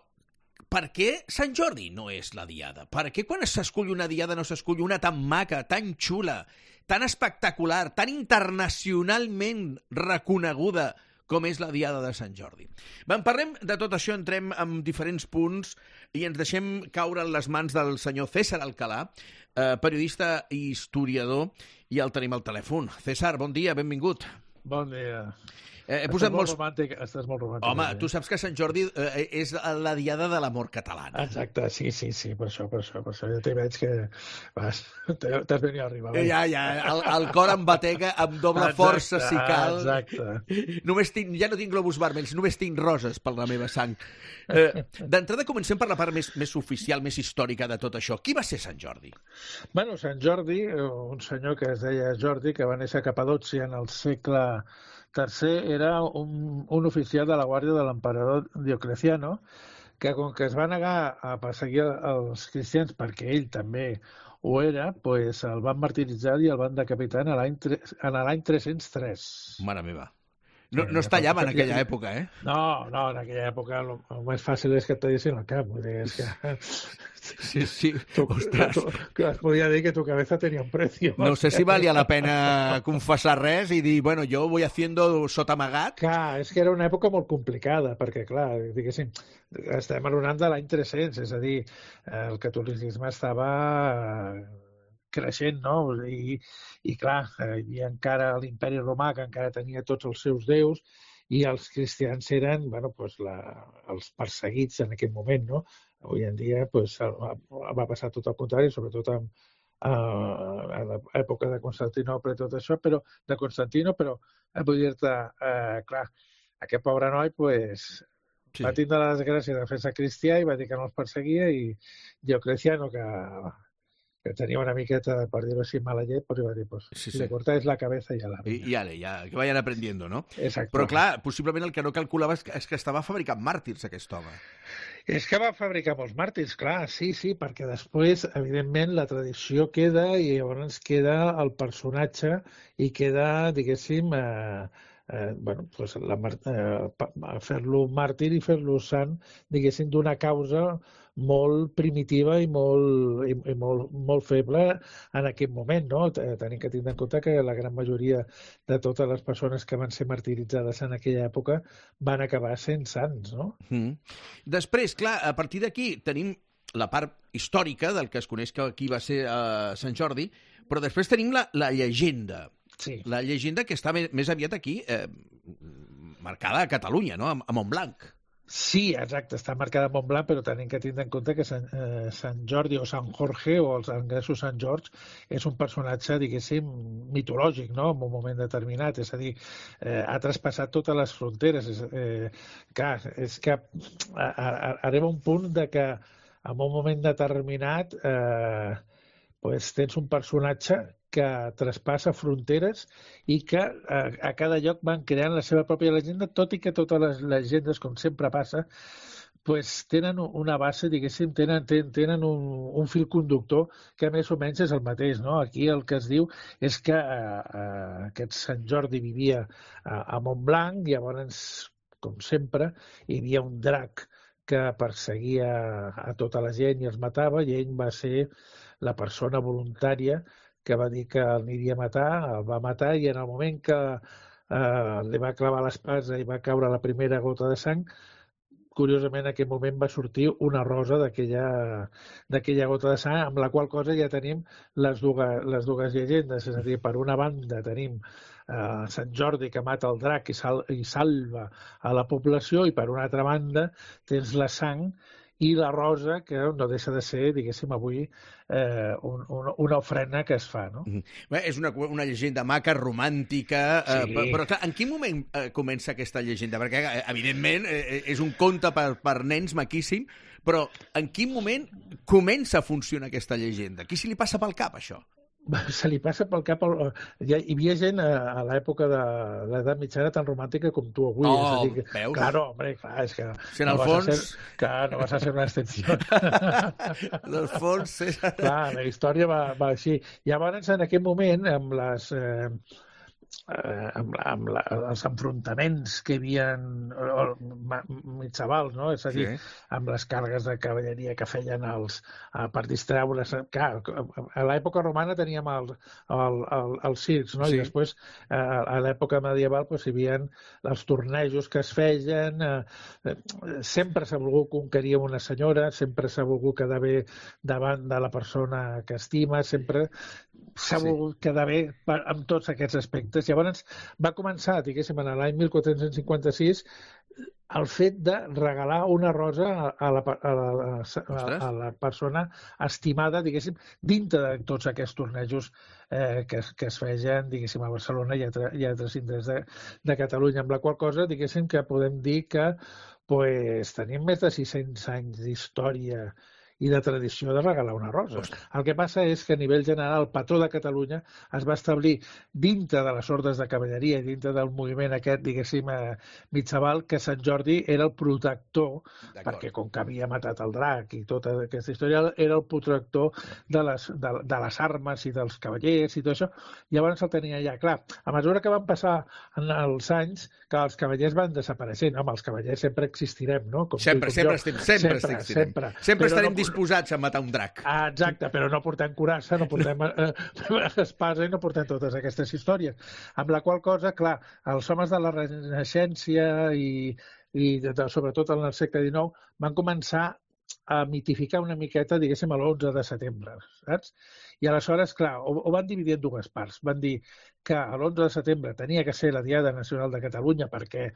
per què Sant Jordi no és la Diada? Per què quan s'escull una Diada no s'escull una tan maca, tan xula, tan espectacular, tan internacionalment reconeguda com és la Diada de Sant Jordi? En parlem de tot això, entrem en diferents punts i ens deixem caure en les mans del senyor César Alcalà, eh, periodista i historiador, i el tenim al telèfon. César, bon dia, benvingut. Bon dia. Eh, he estàs, posat molt molts... romàntic, estàs molt romàntic. Home, tu saps que Sant Jordi eh, és la Diada de l'amor catalana. Exacte, sí, sí, sí, per això, per això, per això. Ja t'hi veig que vas, t'has venit a arribar. Ja, ja, el, el cor em batega amb doble exacte, força, si cal. Exacte. Només tinc, ja no tinc globus vermells, només tinc roses per la meva sang. Eh, D'entrada comencem per la part més, més oficial, més històrica de tot això. Qui va ser Sant Jordi? Bueno, Sant Jordi, un senyor que es deia Jordi, que va néixer a Capadòcia en el segle tercer, era un, un oficial de la guàrdia de l'emperador Diocleciano, que com que es va negar a perseguir els cristians perquè ell també ho era, pues el van martiritzar i el van decapitar en l'any tres-cents tres. Mare meva. No, no es tallava en aquella època, eh? No, no, en aquella època el, el més fàcil és que et tallissin el cap. Vull dir, és que... Sí, sí, tu, ostres. Tu, tu, es podia dir que tu cabeza tenía un precio. No sé si valia la pena confessar res i dir, bueno, jo voy haciendo sota amagat. Clar, és que era una època molt complicada, perquè, clar, diguéssim, estem parlant de l'any tres-cents, és a dir, el catolicisme estava creixent, no? I, i clar, hi havia encara l'Imperi Romà, que encara tenia tots els seus déus, i els cristians eren, bueno, pues la, els perseguits en aquell moment, no? Avui en dia pues, va passar tot el contrari, sobretot en, a l'època de Constantinople i tot això, però de Constantino, però vull dir-te, eh, clar, aquest pobre noi pues, sí. va tindre la desgràcia de fer-se cristià i va dir que no els perseguia, i Diocleciano, que que tenia una miqueta, per dir-ho així, mala llet, però va dir, pues, sí, sí. le cortáis la cabeza i ja la... I, i ale, ja, que vayan aprendiendo, no? Exacte. Però clar, possiblement el que no calculava és que, és que estava fabricant màrtirs, aquest home. És que va fabricar molts màrtirs, clar, sí, sí, perquè després, evidentment, la tradició queda i llavors queda el personatge i queda, diguéssim, eh, eh, bueno, pues la, eh, fer-lo màrtir i fer-lo sant, diguéssim, d'una causa molt primitiva i molt, i, i molt, molt feble en aquell moment, no? Tenim que tenir en compte que la gran majoria de totes les persones que van ser martiritzades en aquella època van acabar sent sants, no? Mm. Després, clar, a partir d'aquí tenim la part històrica del que es coneix que aquí va ser uh, Sant Jordi, però després tenim la, la llegenda. Sí. La llegenda que està més, més aviat aquí, eh, marcada a Catalunya, no? A, a Montblanc. Sí, exacte, està marcada a Montblanc, però tenim que tenir en compte que Sant, eh, Sant Jordi o Sant Jorge, o els anglesos Sant George, és un personatge, diguéssim, mitològic, no?, en un moment determinat. És a dir, eh, ha traspassat totes les fronteres. És, eh, clar, és que a, a, arriba un punt de que en un moment determinat eh, pues, tens un personatge que traspassa fronteres i que a, a cada lloc van creant la seva pròpia llegenda, tot i que totes les llegendes, com sempre passa, pues, tenen una base, diguéssim, tenen, tenen un, un fil conductor que més o menys és el mateix, no? Aquí el que es diu és que eh, eh, aquest Sant Jordi vivia a, a Montblanc, llavors, com sempre, hi havia un drac que perseguia a tota la gent i els matava, i ell va ser la persona voluntària que va dir que l'aniria a matar, el va matar, i en el moment que eh, li va clavar l'espasa i va caure la primera gota de sang, curiosament, en aquell moment va sortir una rosa d'aquella gota de sang, amb la qual cosa ja tenim les dues, les dues llegendes. És a dir, per una banda tenim eh, Sant Jordi que mata el drac i, sal, i salva a la població, i per una altra banda tens la sang i la rosa, que no deixa de ser, diguéssim, avui eh, un, un, una ofrena que es fa, no? Bé, és una, una llegenda maca, romàntica, sí. eh, però, però clar, en quin moment eh, comença aquesta llegenda? Perquè, evidentment, eh, és un conte per, per nens maquíssim, però en quin moment comença a funcionar aquesta llegenda? Qui se li passa pel cap, això? Se li passa pel cap... El... Hi havia gent a, a l'època de l'edat mitjana tan romàntica com tu avui. Oh, és a dir, que, veus? Claro, hombre, clar, és que... Si en no el fons... Ser, clar, no vas a ser una excepció. En el fons... És... Clar, la història va, va així. Llavors, en aquest moment, amb les... Eh, eh, amb, la, amb la, els enfrontaments que hi havia mitjavals, no? És a dir, sí. amb les càrregues de cavalleria que feien els, eh, per distreure's. Clar, a l'època romana teníem el, el, el, els circs, no? Sí. I després, eh, a l'època medieval, doncs, hi havia els tornejos que es feien, eh, sempre s'ha volgut conquerir una senyora, sempre s'ha volgut quedar bé davant de la persona que estima, sempre s'ha sí. volgut quedar bé per, amb tots aquests aspectes. Llavors va començar, diguéssim, en l'any mil quatre-cents cinquanta-sis el fet de regalar una rosa a la, a la, a, a la persona estimada, diguéssim, dintre de tots aquests tornejos eh, que, que es feien, diguéssim, a Barcelona i a, i a altres indrets de, de Catalunya, amb la qual cosa, diguéssim, que podem dir que pues, tenim més de sis-cents anys d'història i de tradició de regalar una rosa. El que passa és que a nivell general el patró de Catalunya es va establir dintre de les ordes de cavalleria i dintre del moviment aquest, diguéssim, eh, mitjaval, que Sant Jordi era el protector, perquè com que havia matat el drac i tota aquesta història, era el protector de les, de, de les armes i dels cavallers i tot això. Llavors el tenia ja clar. A mesura que van passar en els anys, que els cavallers van desapareixent. Home, els cavallers sempre existirem, no? Com sempre, com sempre, estem, sempre, sempre existirem. Sempre, sempre estarem no... disposats a matar un drac. Ah, exacte, però no portem curassa, no portem eh, espasa i no portem totes aquestes històries. Amb la qual cosa, clar, els homes de la Renaixença i, i de, de, sobretot en el segle dinou van començar a mitificar una miqueta, diguéssim, a l'onze de setembre, saps? I aleshores, clar, ho, ho van dividir en dues parts. Van dir que l'onze de setembre tenia que ser la Diada Nacional de Catalunya perquè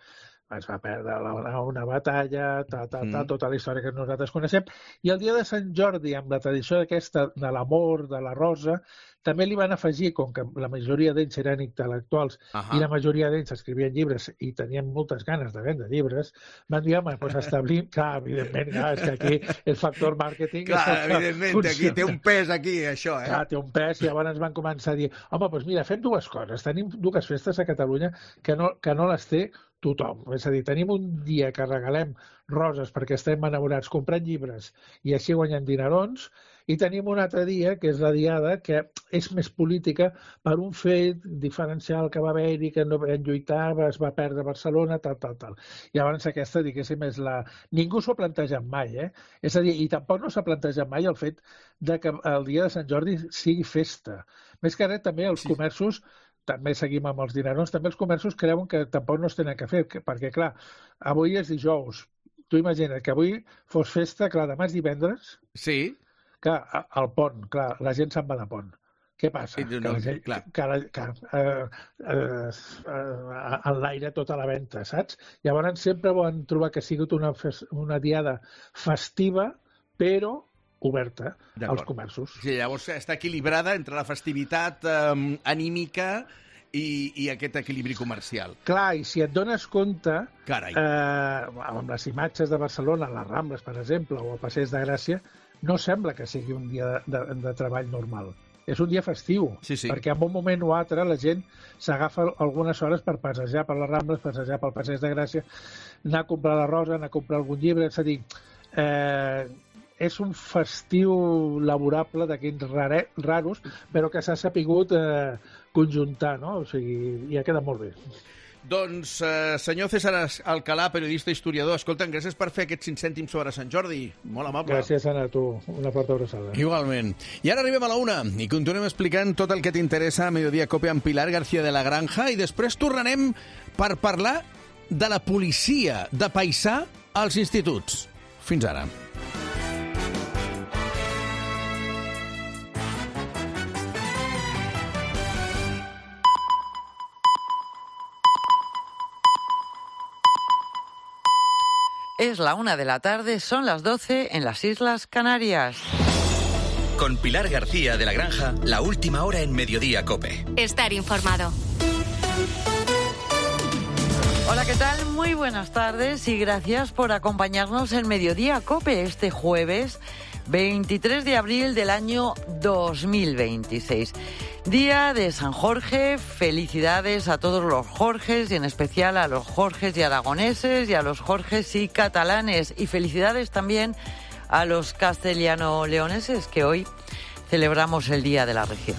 es va perdre la, una batalla, ta, ta, ta, tota la història que nosaltres coneixem, i el dia de Sant Jordi, amb la tradició aquesta de l'amor, de la rosa, també li van afegir, com que la majoria d'ells eren intel·lectuals uh -huh. i la majoria d'ells escrivien llibres i tenien moltes ganes de vendre llibres, van dir, home, doncs establim, clar, evidentment, clar, és que aquí el factor màrqueting... Clar, evidentment, aquí té un pes, aquí, això, eh? Clar, té un pes, i llavors van començar a dir, home, doncs mira, fem dues coses, tenim dues festes a Catalunya que no, que no les té tothom. És a dir, tenim un dia que regalem roses perquè estem enamorats comprant llibres i així guanyem dinerons, i tenim un altre dia, que és la Diada, que és més política per un fet diferencial que va haver-hi, que no vam lluitar, es va perdre Barcelona, tal, tal, tal. Llavors aquesta, diguéssim, és la... Ningú s'ho ha plantejat mai, eh? És a dir, i tampoc no s'ha plantejat mai el fet de que el dia de Sant Jordi sigui festa. Més que res, també els comerços també seguim amb els dinerons, també els comerços creuen que tampoc no es tenen que fer, perquè, clar, avui és dijous. Tu imagina't que avui fos festa, clar, demà és divendres. Sí. Clar, al pont, clar, la gent se'n va de pont. Què passa? No, que la gent, clar. que, la, que eh, eh, eh, en l'aire tota la venda, saps? Llavors sempre van trobar que ha sigut una, una diada festiva, però oberta als comerços. Sí, llavors està equilibrada entre la festivitat eh, anímica i, i aquest equilibri comercial. Clar, i si et dones compte, Carai. eh, amb les imatges de Barcelona, les Rambles, per exemple, o el Passeig de Gràcia, no sembla que sigui un dia de, de, de treball normal. És un dia festiu, sí, sí. perquè en un moment o altre la gent s'agafa algunes hores per passejar per les Rambles, passejar pel Passeig de Gràcia, anar a comprar la rosa, anar a comprar algun llibre, és a dir, eh, és un festiu laborable d'aquells raros, però que s'ha sapigut eh, conjuntar, no? O sigui, ja queda molt bé. Doncs, eh, senyor César Alcalà, periodista i historiador, escolta'm, gràcies per fer aquests cinc cèntims sobre Sant Jordi. Molt amable. Gràcies, Anna, a tu. Una forta abraçada. Igualment. I ara arribem a la una i continuem explicant tot el que t'interessa a Mediodía Cope amb Pilar García de la Granja i després tornarem per parlar de la policia de paisà als instituts. Fins ara. Es la una de la tarde, son las doce en las Islas Canarias. Con Pilar García de la Granja, la última hora en Mediodía COPE. Estar informado. Hola, ¿qué tal? Muy buenas tardes y gracias por acompañarnos en Mediodía COPE este jueves veintitrés de abril del año dos mil veintiséis. Día de San Jorge, felicidades a todos los Jorges y en especial a los Jorges y aragoneses y a los Jorges y catalanes y felicidades también a los castellano-leoneses que hoy celebramos el Día de la Región.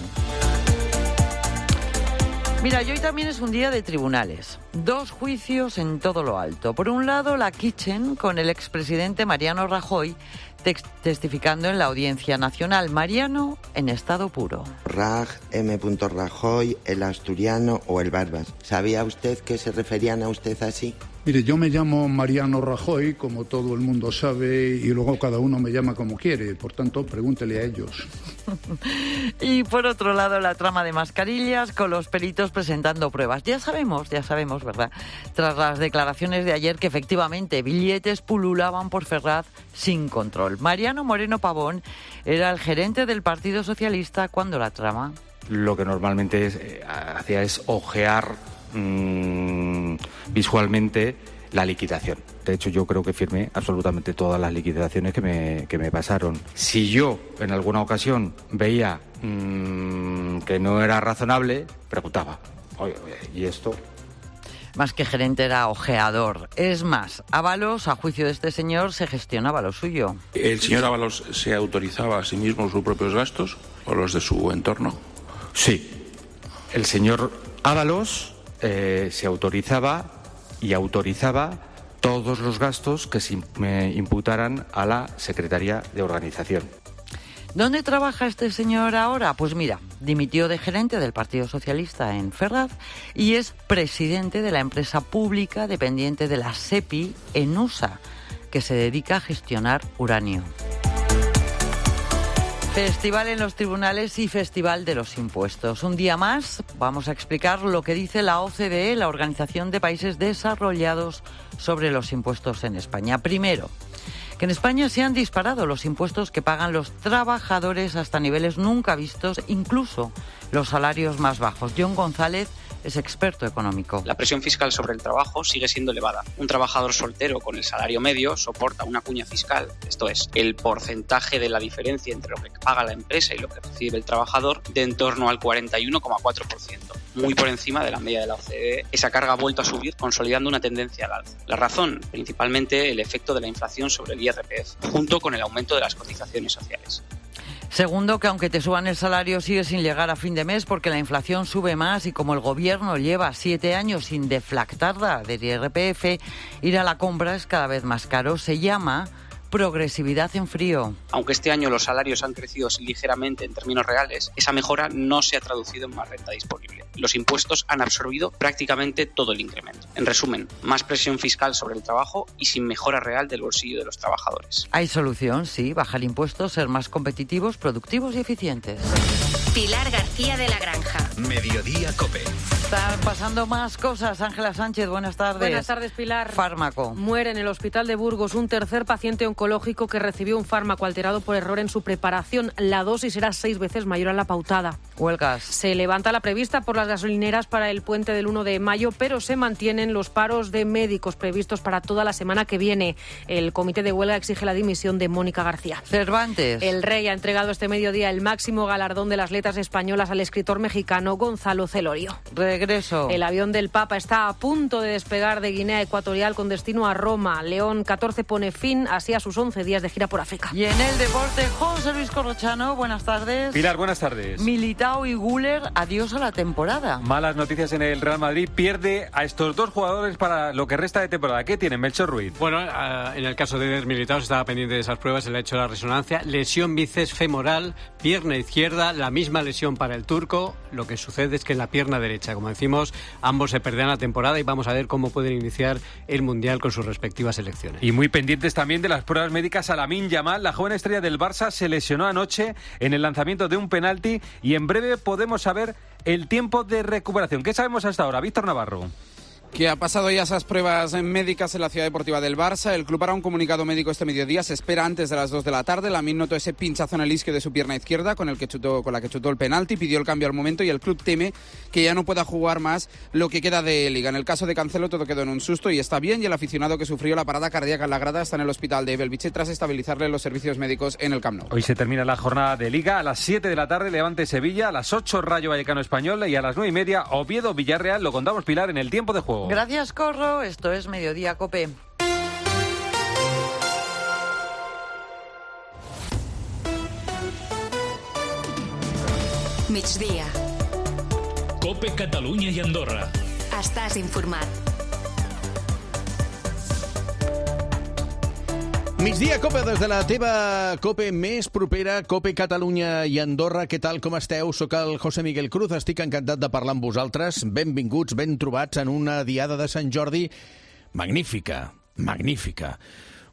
Mira, y hoy también es un día de tribunales. Dos juicios en todo lo alto. Por un lado, la Kitchen con el expresidente Mariano Rajoy testificando en la Audiencia Nacional. Mariano en estado puro. Raj, M. Rajoy, el asturiano o el Barbas. ¿Sabía usted que se referían a usted así? Mire, yo me llamo Mariano Rajoy, como todo el mundo sabe, y luego cada uno me llama como quiere. Por tanto, pregúntele a ellos. Y por otro lado, la trama de mascarillas con los peritos presentando pruebas. Ya sabemos, ya sabemos, ¿verdad? Tras las declaraciones de ayer que efectivamente billetes pululaban por Ferraz sin control. Mariano Moreno Pavón era el gerente del Partido Socialista cuando la trama. Lo que normalmente es, eh, hacía es ojear mmm, visualmente la liquidación. De hecho, yo creo que firmé absolutamente todas las liquidaciones que me, que me pasaron. Si yo en alguna ocasión veía mmm, que no era razonable, preguntaba, oye, oye, ¿y esto? Más que gerente era ojeador. Es más, Ábalos, a juicio de este señor, se gestionaba lo suyo. ¿El señor Ábalos se autorizaba a sí mismo sus propios gastos o los de su entorno? Sí. El señor Ábalos eh, se autorizaba y autorizaba todos los gastos que se imputaran a la Secretaría de Organización. ¿Dónde trabaja este señor ahora? Pues mira, dimitió de gerente del Partido Socialista en Ferraz y es presidente de la empresa pública dependiente de la SEPI en U S A, que se dedica a gestionar uranio. Festival en los tribunales y Festival de los impuestos. Un día más vamos a explicar lo que dice la O C D E, la Organización de Países Desarrollados, sobre los impuestos en España. Primero, que en España se han disparado los impuestos que pagan los trabajadores hasta niveles nunca vistos, incluso los salarios más bajos. John González es experto económico. La presión fiscal sobre el trabajo sigue siendo elevada. Un trabajador soltero con el salario medio soporta una cuña fiscal, esto es, el porcentaje de la diferencia entre lo que paga la empresa y lo que recibe el trabajador, de en torno al cuarenta y uno coma cuatro por ciento, muy por encima de la media de la O C D E. Esa carga ha vuelto a subir, consolidando una tendencia al alza. La razón, principalmente el efecto de la inflación sobre el I R P F, junto con el aumento de las cotizaciones sociales. Segundo, que aunque te suban el salario sigue sin llegar a fin de mes porque la inflación sube más y como el gobierno lleva siete años sin deflactarla del I R P F, ir a la compra es cada vez más caro. Se llama progresividad en frío. Aunque este año los salarios han crecido ligeramente en términos reales, esa mejora no se ha traducido en más renta disponible. Los impuestos han absorbido prácticamente todo el incremento. En resumen, más presión fiscal sobre el trabajo y sin mejora real del bolsillo de los trabajadores. Hay solución, sí, bajar impuestos, ser más competitivos, productivos y eficientes. Pilar García de la Granja. Mediodía COPE. Están pasando más cosas. Ángela Sánchez, buenas tardes. Buenas tardes, Pilar. Fármaco. Muere en el hospital de Burgos un tercer paciente oncológico que recibió un fármaco alterado por error en su preparación. La dosis era seis veces mayor a la pautada. Huelgas. Se levanta la prevista por las gasolineras para el puente del uno de mayo, pero se mantienen los paros de médicos previstos para toda la semana que viene. El comité de huelga exige la dimisión de Mónica García. Cervantes. El Rey ha entregado este mediodía el máximo galardón de las letras españolas al escritor mexicano Gonzalo Celorio. Regreso. El avión del Papa está a punto de despegar de Guinea Ecuatorial con destino a Roma. León catorce pone fin así a sus once días de gira por África. Y en el deporte, José Luis Corrochano, buenas tardes. Pilar, buenas tardes. Militao y Güler, adiós a la temporada. Malas noticias en el Real Madrid. Pierde a estos dos jugadores para lo que resta de temporada. ¿Qué tienen, Melchor Ruiz? Bueno, uh, en el caso de Eder Militao se estaba pendiente de esas pruebas, se le ha hecho la resonancia. Lesión bíceps femoral, pierna izquierda, la misma misma lesión para el turco. Lo que sucede es que en la pierna derecha, como decimos, ambos se perderán la temporada y vamos a ver cómo pueden iniciar el Mundial con sus respectivas selecciones. Y muy pendientes también de las pruebas médicas a Lamine Yamal. La joven estrella del Barça se lesionó anoche en el lanzamiento de un penalti y en breve podemos saber el tiempo de recuperación. ¿Qué sabemos hasta ahora? Víctor Navarro. Que ha pasado ya esas pruebas médicas en la Ciudad Deportiva del Barça. El club hará un comunicado médico este mediodía. Se espera antes de las dos de la tarde. Lamine notó ese pinchazo en el isquio de su pierna izquierda con el que chutó, con la que chutó el penalti. Pidió el cambio al momento y el club teme que ya no pueda jugar más lo que queda de Liga. En el caso de Cancelo todo quedó en un susto y está bien. Y el aficionado que sufrió la parada cardíaca en la grada está en el hospital de Belviche tras estabilizarle los servicios médicos en el Camp Nou. Hoy se termina la jornada de Liga. A las siete de la tarde Levante Sevilla, a las ocho Rayo Vallecano Español y a las nueve y media Oviedo Villarreal. Lo contamos, Pilar, en el tiempo de juego. Gracias, Corro. Esto es Mediodía Cope. Migdia. Cope Catalunya i Andorra. Estàs informat. Migdia, Cope, des de la teva Cope més propera, Cope Catalunya i Andorra. Què tal, com esteu? Soc el José Miguel Cruz, estic encantat de parlar amb vosaltres. Benvinguts, ben trobats en una diada de Sant Jordi magnífica, magnífica.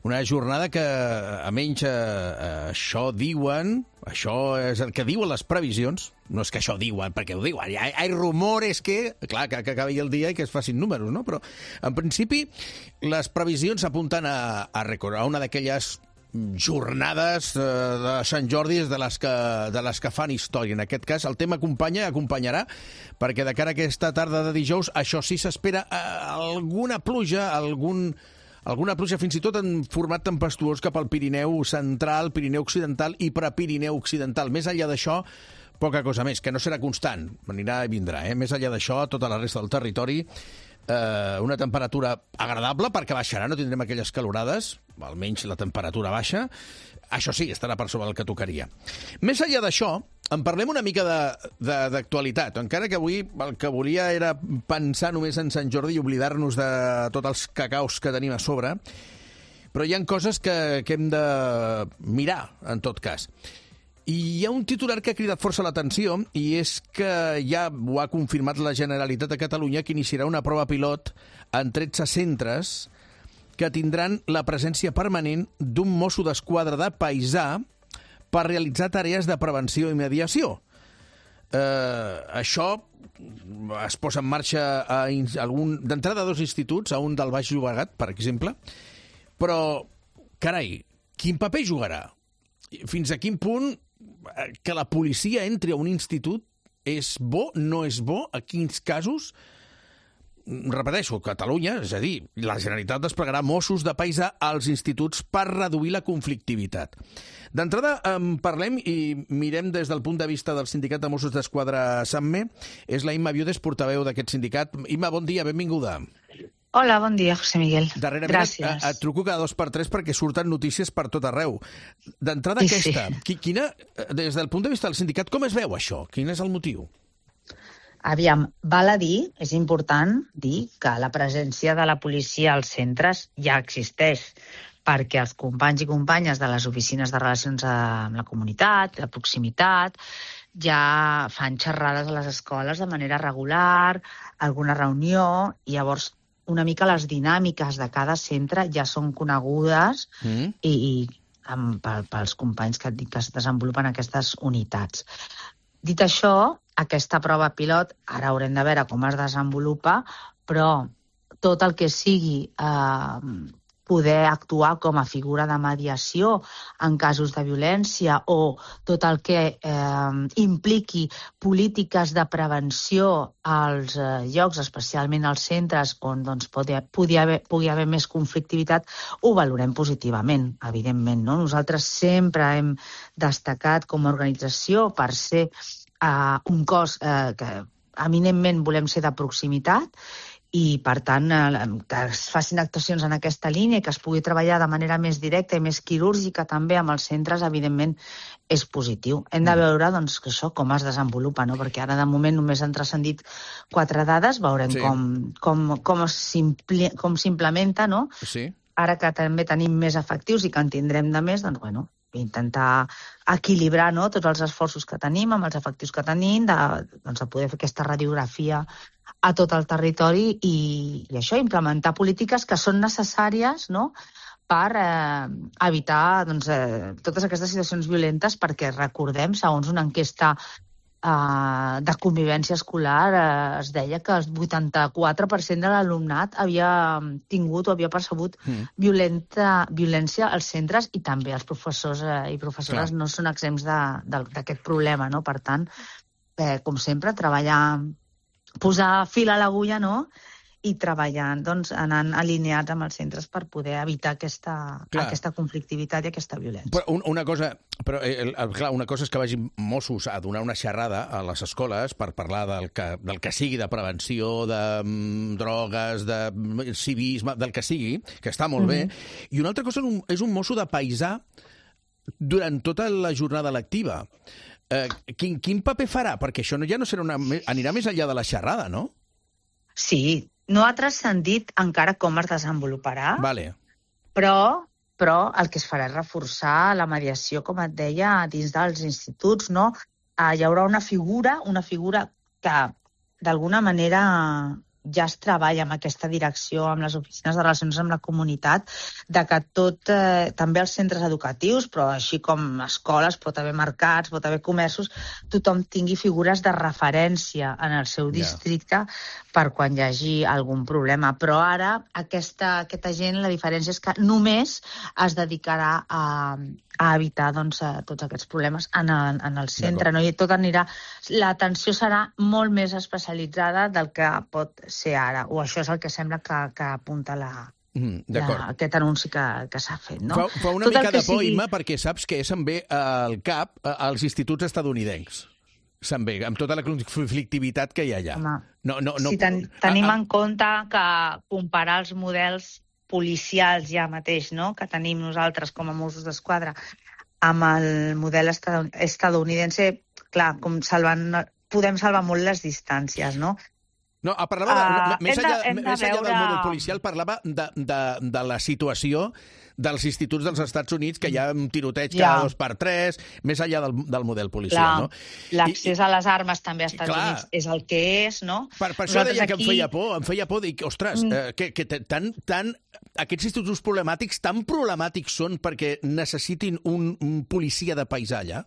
Una jornada que, a menys eh, això diuen, això és el que diuen les previsions, no és que això diuen, perquè ho diuen, hi ha, hi ha rumores que, clar, que, que acabi el dia i que es facin números, no? Però, en principi, les previsions apunten a, a, a una d'aquelles jornades eh, de Sant Jordi de les, que, de les que fan història. En aquest cas, el tema acompanya, acompanyarà, perquè de cara a aquesta tarda de dijous, això sí s'espera eh, alguna pluja, algun... Alguna pluja fins i tot en format tempestuós cap al Pirineu central, Pirineu occidental i prepirineu occidental. Més enllà d'això, poca cosa més, que no serà constant, anirà i vindrà. Eh? Més enllà d'això, tota la resta del territori, eh, una temperatura agradable, perquè baixarà, no tindrem aquelles calorades, almenys la temperatura baixa. Això sí, estarà per sobre el que tocaria. Més enllà d'això, en parlem una mica d'actualitat, encara que avui el que volia era pensar només en Sant Jordi i oblidar-nos de tots els cacaus que tenim a sobre, però hi ha coses que, que hem de mirar, en tot cas. I hi ha un titular que ha cridat força l'atenció i és que ja ho ha confirmat la Generalitat de Catalunya que iniciarà una prova pilot en tretze centres que tindran la presència permanent d'un mosso d'esquadra de paisà per realitzar tarees de prevenció i mediació. Eh, això es posa en marxa a algun, d'entrada a dos instituts, a un del Baix Llobregat, per exemple, però, carai, quin paper jugarà? Fins a quin punt que la policia entri a un institut és bo, no és bo, a quins casos? Repeteixo, Catalunya, és a dir, la Generalitat desplegarà Mossos de paisà als instituts per reduir la conflictivitat. D'entrada, en parlem i mirem des del punt de vista del sindicat de Mossos d'Esquadra SAMME. És la Imma Viudes, portaveu d'aquest sindicat. Imma, bon dia, benvinguda. Hola, bon dia, José Miguel. Darrerament Gràcies. Et, et truco cada dos per tres perquè surten notícies per tot arreu. D'entrada, sí, aquesta, sí. Quina, des del punt de vista del sindicat, com es veu això? Quin és el motiu? Aviam, val a dir, és important dir que la presència de la policia als centres ja existeix, perquè els companys i companyes de les oficines de relacions amb la comunitat, de proximitat, ja fan xerrades a les escoles de manera regular, alguna reunió, i llavors una mica les dinàmiques de cada centre ja són conegudes mm. i, i amb, pels companys que, que es desenvolupen aquestes unitats. Dit això, aquesta prova pilot, ara haurem de veure com es desenvolupa, però tot el que sigui eh, poder actuar com a figura de mediació en casos de violència o tot el que eh, impliqui polítiques de prevenció als eh, llocs, especialment als centres on doncs, pugui, pugui, haver, pugui haver més conflictivitat, ho valorem positivament, evidentment. No? Nosaltres sempre hem destacat com a organització per ser Uh, un cos uh, que eminentment volem ser de proximitat i, per tant, uh, que es facin actuacions en aquesta línia i que es pugui treballar de manera més directa i més quirúrgica també amb els centres, evidentment, és positiu. Hem de veure doncs, que això com es desenvolupa, no? Perquè ara, de moment, només han transcendit quatre dades, veurem sí. com, com, com s'implementa, no? Sí. Ara que també tenim més efectius i que en tindrem de més, doncs, bueno, intentar equilibrar, no?, tots els esforços que tenim, amb els efectius que tenim, de, doncs, de poder fer aquesta radiografia a tot el territori i, i això, implementar polítiques que són necessàries, no?, per eh, evitar doncs, eh, totes aquestes situacions violentes, perquè recordem, segons una enquesta eh, de convivència escolar, eh, es deia que el vuitanta-quatre per cent de l'alumnat havia tingut o havia percebut mm. violenta, violència als centres, i també els professors eh, i professores Clar. no són exempts d'aquest problema, no? Per tant, eh, com sempre, treballar, posar fil a l'agulla, no?, i treballant, doncs, anant alineats amb els centres per poder evitar aquesta, aquesta conflictivitat i aquesta violència. Però una cosa, però, eh, clar, una cosa és que vagin Mossos a donar una xerrada a les escoles per parlar del que, del que sigui, de prevenció, de mm, drogues, de civisme, del que sigui, que està molt mm-hmm. bé, i una altra cosa és un, és un mosso de paisà durant tota la jornada lectiva. Eh, quin, quin paper farà? Perquè això ja no serà una, anirà més enllà de la xerrada, no? Sí, no ha transcendit encara com es desenvoluparà, vale. però, però el que es farà és reforçar la mediació, com et deia, dins dels instituts, no? Eh, hi haurà una figura, una figura que d'alguna manera ja es treballa amb aquesta direcció, amb les oficines de relacions amb la comunitat, de que tot, eh, també els centres educatius, però així com escoles, pot haver mercats, pot haver comerços, tothom tingui figures de referència en el seu districte yeah. per quan hi hagi algun problema. Però ara aquesta, aquesta gent, la diferència és que només es dedicarà a, a evitar doncs, tots aquests problemes en el, en el centre. No? I tot anirà... L'atenció serà molt més especialitzada del que pot ser ara, o això és el que sembla que, que apunta la, mm, la, aquest anunci que, que s'ha fet. No? Fa, fa una tot mica de por, sigui... Imma, perquè saps que se'n ve al cap als instituts estadounidencs. Se'n ve, amb tota la conflictivitat que hi ha allà. No, no, no... Si ten, tenim ah, ah. en compte que comparar els models policials ja mateix, no?, que tenim nosaltres com a Mossos d'Esquadra, amb el model estadounidense, clar, com salvant, podem salvar molt les distàncies, no? No, parlava, de, uh, més enllà, de, més enllà veure... del model policial, parlava de, de, de la situació dels instituts dels Estats Units, que hi ha un tiroteig cada ja. dos per tres, més enllà del, del model policial, no? L'accés a les armes també als Estats clar, Units és el que és, no? Per, per això deia aquí... que em feia por, em feia por, dic, ostres, mm. eh, que, que tan, tan, aquests instituts problemàtics tan problemàtics són perquè necessitin un, un policia de paisà allà?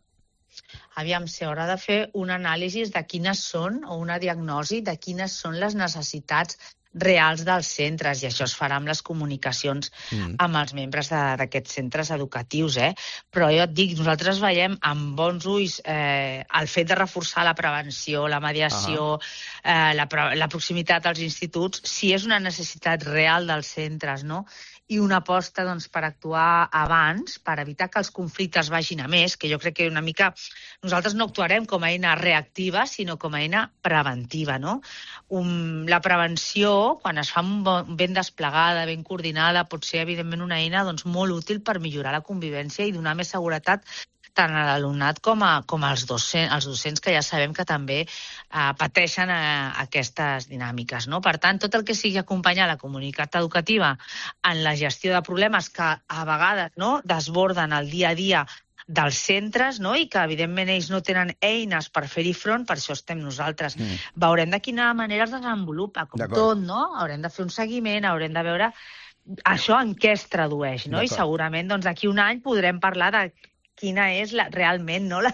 Aviam, s'haurà de fer una anàlisi de quines són, o una diagnosi de quines són les necessitats reals dels centres, i això es farà amb les comunicacions mm. amb els membres d'aquests centres educatius, eh? Però jo et dic, nosaltres veiem amb bons ulls eh, el fet de reforçar la prevenció, la mediació, uh-huh. eh, la, la proximitat als instituts, si és una necessitat real dels centres, no?, i una aposta doncs, per actuar abans, per evitar que els conflictes vagin a més, que jo crec que una mica nosaltres no actuarem com a eina reactiva, sinó com a eina preventiva, no? Um, la prevenció, quan es fa ben desplegada, ben coordinada, pot ser, evidentment, una eina doncs, molt útil per millorar la convivència i donar més seguretat tant a l'alumnat com, a, com als docents, als docents, que ja sabem que també eh, pateixen eh, aquestes dinàmiques, no? Per tant, tot el que sigui acompanyar la comunitat educativa en la gestió de problemes que a vegades no, desborden el dia a dia dels centres, no? I que evidentment ells no tenen eines per fer-hi front, per això estem nosaltres. Mm. Veurem de quina manera es desenvolupa, com tot, no? Haurem de fer un seguiment, haurem de veure això en què es tradueix, no? I segurament doncs, d'aquí un any podrem parlar de quina és la, realment no, la,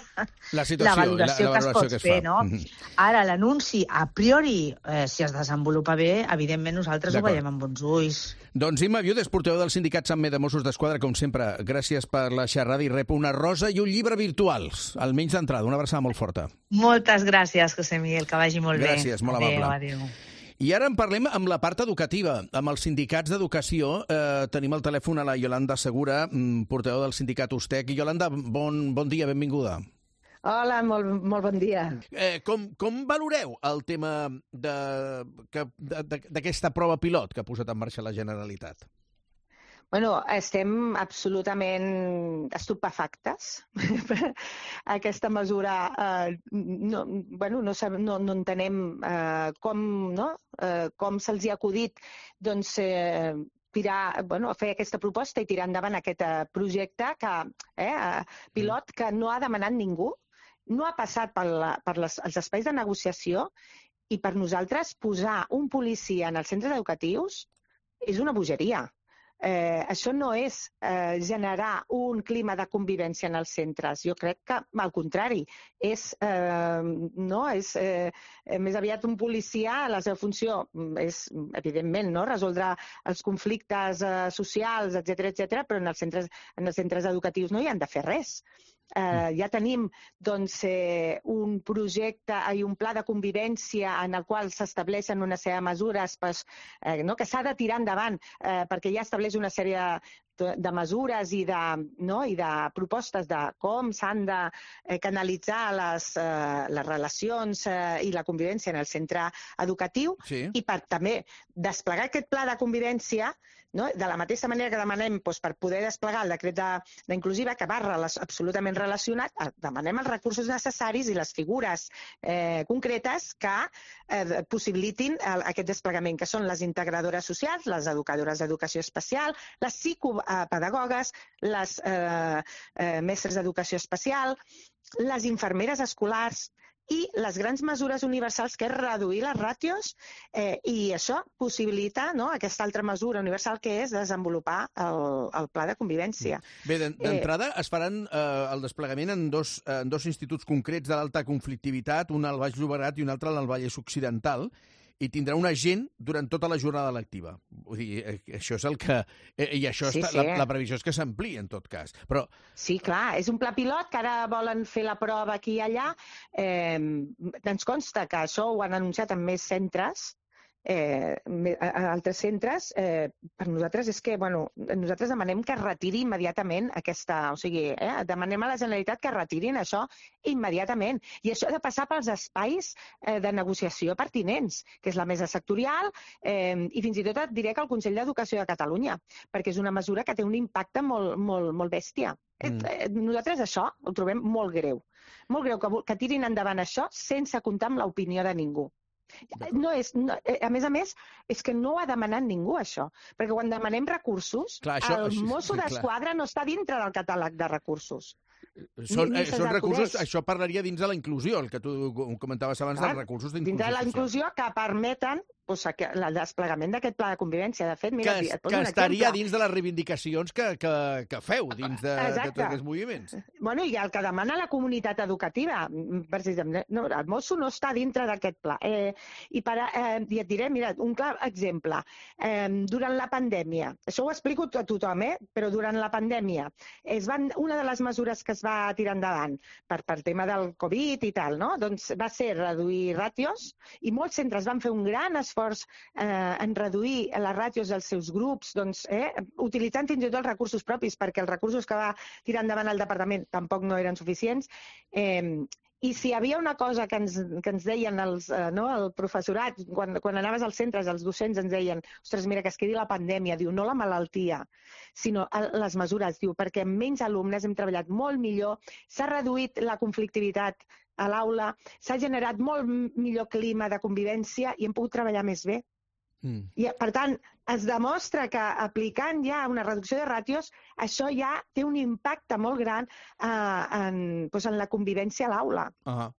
la, situació, la valoració, la, la que es pot que es fer. No? Mm-hmm. Ara, l'anunci, a priori, eh, si es desenvolupa bé, evidentment nosaltres ho veiem amb bons ulls. Doncs Imma Viudes, portaveu del sindicat Sammer de Mossos d'Esquadra, com sempre, gràcies per la xerrada i rep una rosa i un llibre virtuals, almenys d'entrada. Una abraçada molt forta. Moltes gràcies, José Miguel, que vagi molt gràcies, bé. Gràcies, molt amable. Adéu, adéu. I ara en parlem amb la part educativa, amb els sindicats d'educació. Eh, tenim al telèfon a la Iolanda Segura, portaveu del sindicat Ustec. Yolanda, bon, bon dia, benvinguda. Hola, molt, molt bon dia. Eh, com, com valoreu el tema d'aquesta prova pilot que ha posat en marxa la Generalitat? Bueno, estem absolutament estupefactes. Aquesta mesura, eh, no, bueno, no, no, no entenem eh, com, no? eh, com se'ls hi ha acudit doncs, eh, tirar, bueno, fer aquesta proposta i tirar endavant aquest eh, projecte que, eh, pilot que no ha demanat ningú, no ha passat per, la, per les, els espais de negociació, i per nosaltres posar un policia en els centres educatius és una bogeria. Eh, això no és eh, generar un clima de convivència en els centres. Jo crec que, al contrari, és, eh, no, és eh, més aviat un policia, la seva funció és, evidentment, no, resoldre els conflictes eh, socials, etcètera, etcètera, però en els centres, en els centres educatius no hi han de fer res. Eh, ja tenim doncs, eh, un projecte i un pla de convivència en el qual s'estableixen una sèrie de mesures pues, eh, no, que s'ha de tirar endavant eh, perquè ja estableix una sèrie de, de mesures i de, no, i de propostes de com s'han de eh, canalitzar les, eh, les relacions eh, i la convivència en el centre educatiu sí. I per també desplegar aquest pla de convivència, no? De la mateixa manera que demanem doncs, per poder desplegar el decret d'inclusiva, que va absolutament relacionat, demanem els recursos necessaris i les figures eh, concretes que eh, possibilitin el, aquest desplegament, que són les integradores socials, les educadores d'educació especial, les psicopedagogues, les eh, eh, mestres d'educació especial, les infermeres escolars, i les grans mesures universals, que és reduir les ràtios, eh, i això possibilita no, aquesta altra mesura universal, que és desenvolupar el, el pla de convivència. Bé, d'entrada eh... es faran eh, el desplegament en dos, en dos instituts concrets de l'alta conflictivitat, un al Baix Llobregat i un altre al Vallès Occidental, i tindrà un agent durant tota la jornada lectiva. Vull dir, això és el que... I això sí, està, sí. La, la previsió és que s'ampliï, en tot cas. Però... Sí, clar, és un pla pilot que ara volen fer la prova aquí i allà. Eh, ens consta que això ho han anunciat en més centres, eh, a altres centres. Eh, per nosaltres és que, bueno, nosaltres demanem que es retiri immediatament aquesta... O sigui, eh, demanem a la Generalitat que retirin això immediatament. I això ha de passar pels espais eh, de negociació pertinents, que és la mesa sectorial, eh, i fins i tot et diré que el Consell d'Educació de Catalunya, perquè és una mesura que té un impacte molt, molt, molt bèstia. Mm. Eh, nosaltres això ho trobem molt greu. Molt greu que, que tirin endavant això sense comptar amb l'opinió de ningú. No és, no, a més a més, és que no ho ha demanat ningú, això. Perquè quan demanem recursos, clar, això, el mosso d'esquadra no està dintre del catàleg de recursos. Són, eh, són recursos, això parlaria dins de la inclusió, el que tu comentaves abans clar, dels recursos d'inclusió social. Dins de la inclusió que permeten pues, el desplegament d'aquest pla de convivència. De fet, mira, que, et que estaria dins de les reivindicacions que, que, que feu dins de, de tots aquests moviments. Bueno, i el que demana la comunitat educativa, precisament, no, el mosso no està dintre d'aquest pla. Eh, i, per, eh, I et diré, mira, un clar exemple. Eh, durant la pandèmia, això ho explico a tothom, eh, però durant la pandèmia, es van, una de les mesures que es va tirar endavant per, per tema del Covid i tal, no? Doncs va ser reduir ràtios i molts centres van fer un gran esforç eh, en reduir les ràtios dels seus grups, doncs, eh, utilitzant fins i tot els recursos propis, perquè els recursos que va tirar endavant el departament tampoc no eren suficients. Eh, I si hi havia una cosa que ens, que ens deien els, eh, no, el professorat, quan, quan anaves als centres, els docents ens deien ostres, mira, que es quedi la pandèmia, diu, no la malaltia, sinó les mesures, diu, perquè amb menys alumnes hem treballat molt millor, s'ha reduït la conflictivitat a l'aula, s'ha generat molt millor clima de convivència i hem pogut treballar més bé. Mm. I, per tant, es demostra que aplicant ja una reducció de ràtios, això ja té un impacte molt gran eh, en, doncs en la convivència a l'aula. Uh-huh.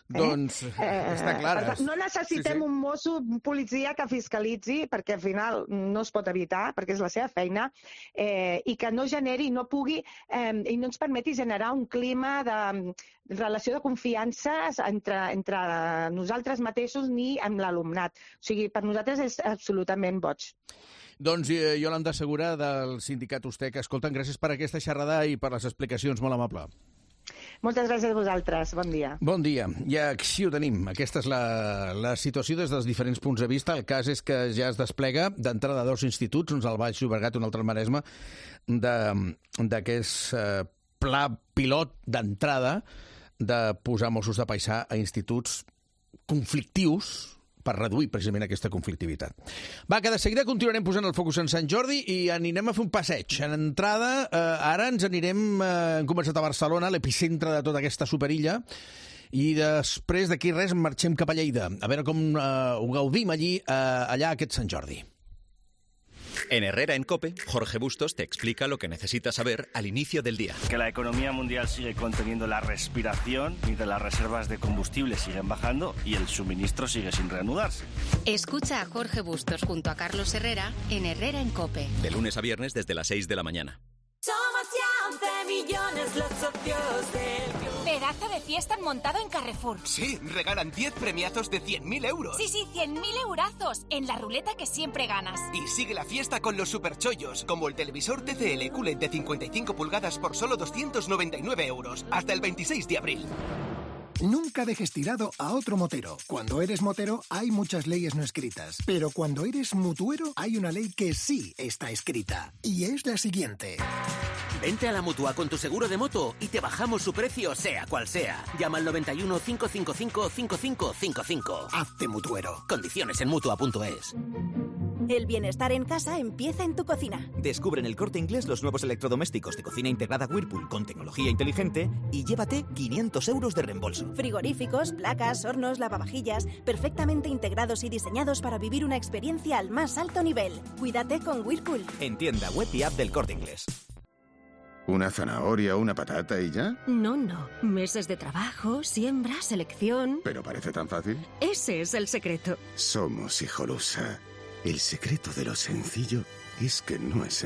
Eh? Doncs eh, està clar. Eh, no necessitem sí, sí. un mosso, un policia que fiscalitzi, perquè al final no es pot evitar, perquè és la seva feina, eh, i que no generi, no pugui, eh, i no ens permeti generar un clima de relació de confiança entre, entre nosaltres mateixos ni amb l'alumnat. O sigui, per nosaltres és absolutament boig. Doncs eh, Yolanda Segura, del sindicat Ustec. Escolta'm, gràcies per aquesta xerrada i per les explicacions, molt amable. Moltes gràcies a vosaltres. Bon dia. Bon dia. I així ho tenim. Aquesta és la, la situació des dels diferents punts de vista. El cas és que ja es desplega d'entrada a dos instituts, uns al Baix Llobregat i un altre al Maresme, d'aquest eh, pla pilot d'entrada de posar Mossos de Paisà a instituts conflictius, per reduir precisament aquesta conflictivitat. Va, que de seguida continuarem posant el focus en Sant Jordi i anirem a fer un passeig. En entrada, eh, ara ens anirem, eh, hem començat a Barcelona, l'epicentre de tota aquesta superilla, i després d'aquí res marxem cap a Lleida, a veure com eh, ho gaudim allí, eh, allà aquest Sant Jordi. En Herrera en COPE, Jorge Bustos te explica lo que necesitas saber al inicio del día. Que la economía mundial sigue conteniendo la respiración mientras las reservas de combustible siguen bajando y el suministro sigue sin reanudarse. Escucha a Jorge Bustos junto a Carlos Herrera en Herrera en COPE. De lunes a viernes desde las seis de la mañana. Somos ya once millones los socios del club. Pedazo de fiesta han montado en Carrefour. Sí, regalan diez premiazos de cien mil euros. Sí, sí, cien mil eurazos en la ruleta que siempre ganas. Y sigue la fiesta con los superchollos, como el televisor T C L Q L E D de cincuenta y cinco pulgadas por solo doscientos noventa y nueve euros, hasta el veintiséis de abril. Nunca dejes tirado a otro motero. Cuando eres motero hay muchas leyes no escritas, pero cuando eres mutuero hay una ley que sí está escrita, y es la siguiente. Vente a la Mutua con tu seguro de moto y te bajamos su precio sea cual sea. Llama al noventa y uno, cinco cinco cinco, cinco cinco cinco cinco. Hazte mutuero. Condiciones en mutua punto es. El bienestar en casa empieza en tu cocina. Descubre en El Corte Inglés los nuevos electrodomésticos de cocina integrada Whirlpool con tecnología inteligente y llévate quinientos euros de reembolso. Frigoríficos, placas, hornos, lavavajillas, perfectamente integrados y diseñados para vivir una experiencia al más alto nivel. Cuídate con Whirlpool. En tienda web y app del Corte Inglés. ¿Una zanahoria, una patata y ya? No, no. Meses de trabajo, siembra, selección... ¿Pero parece tan fácil? Ese es el secreto. Somos Hijolusa. El secreto de lo sencillo es que no es sencillo.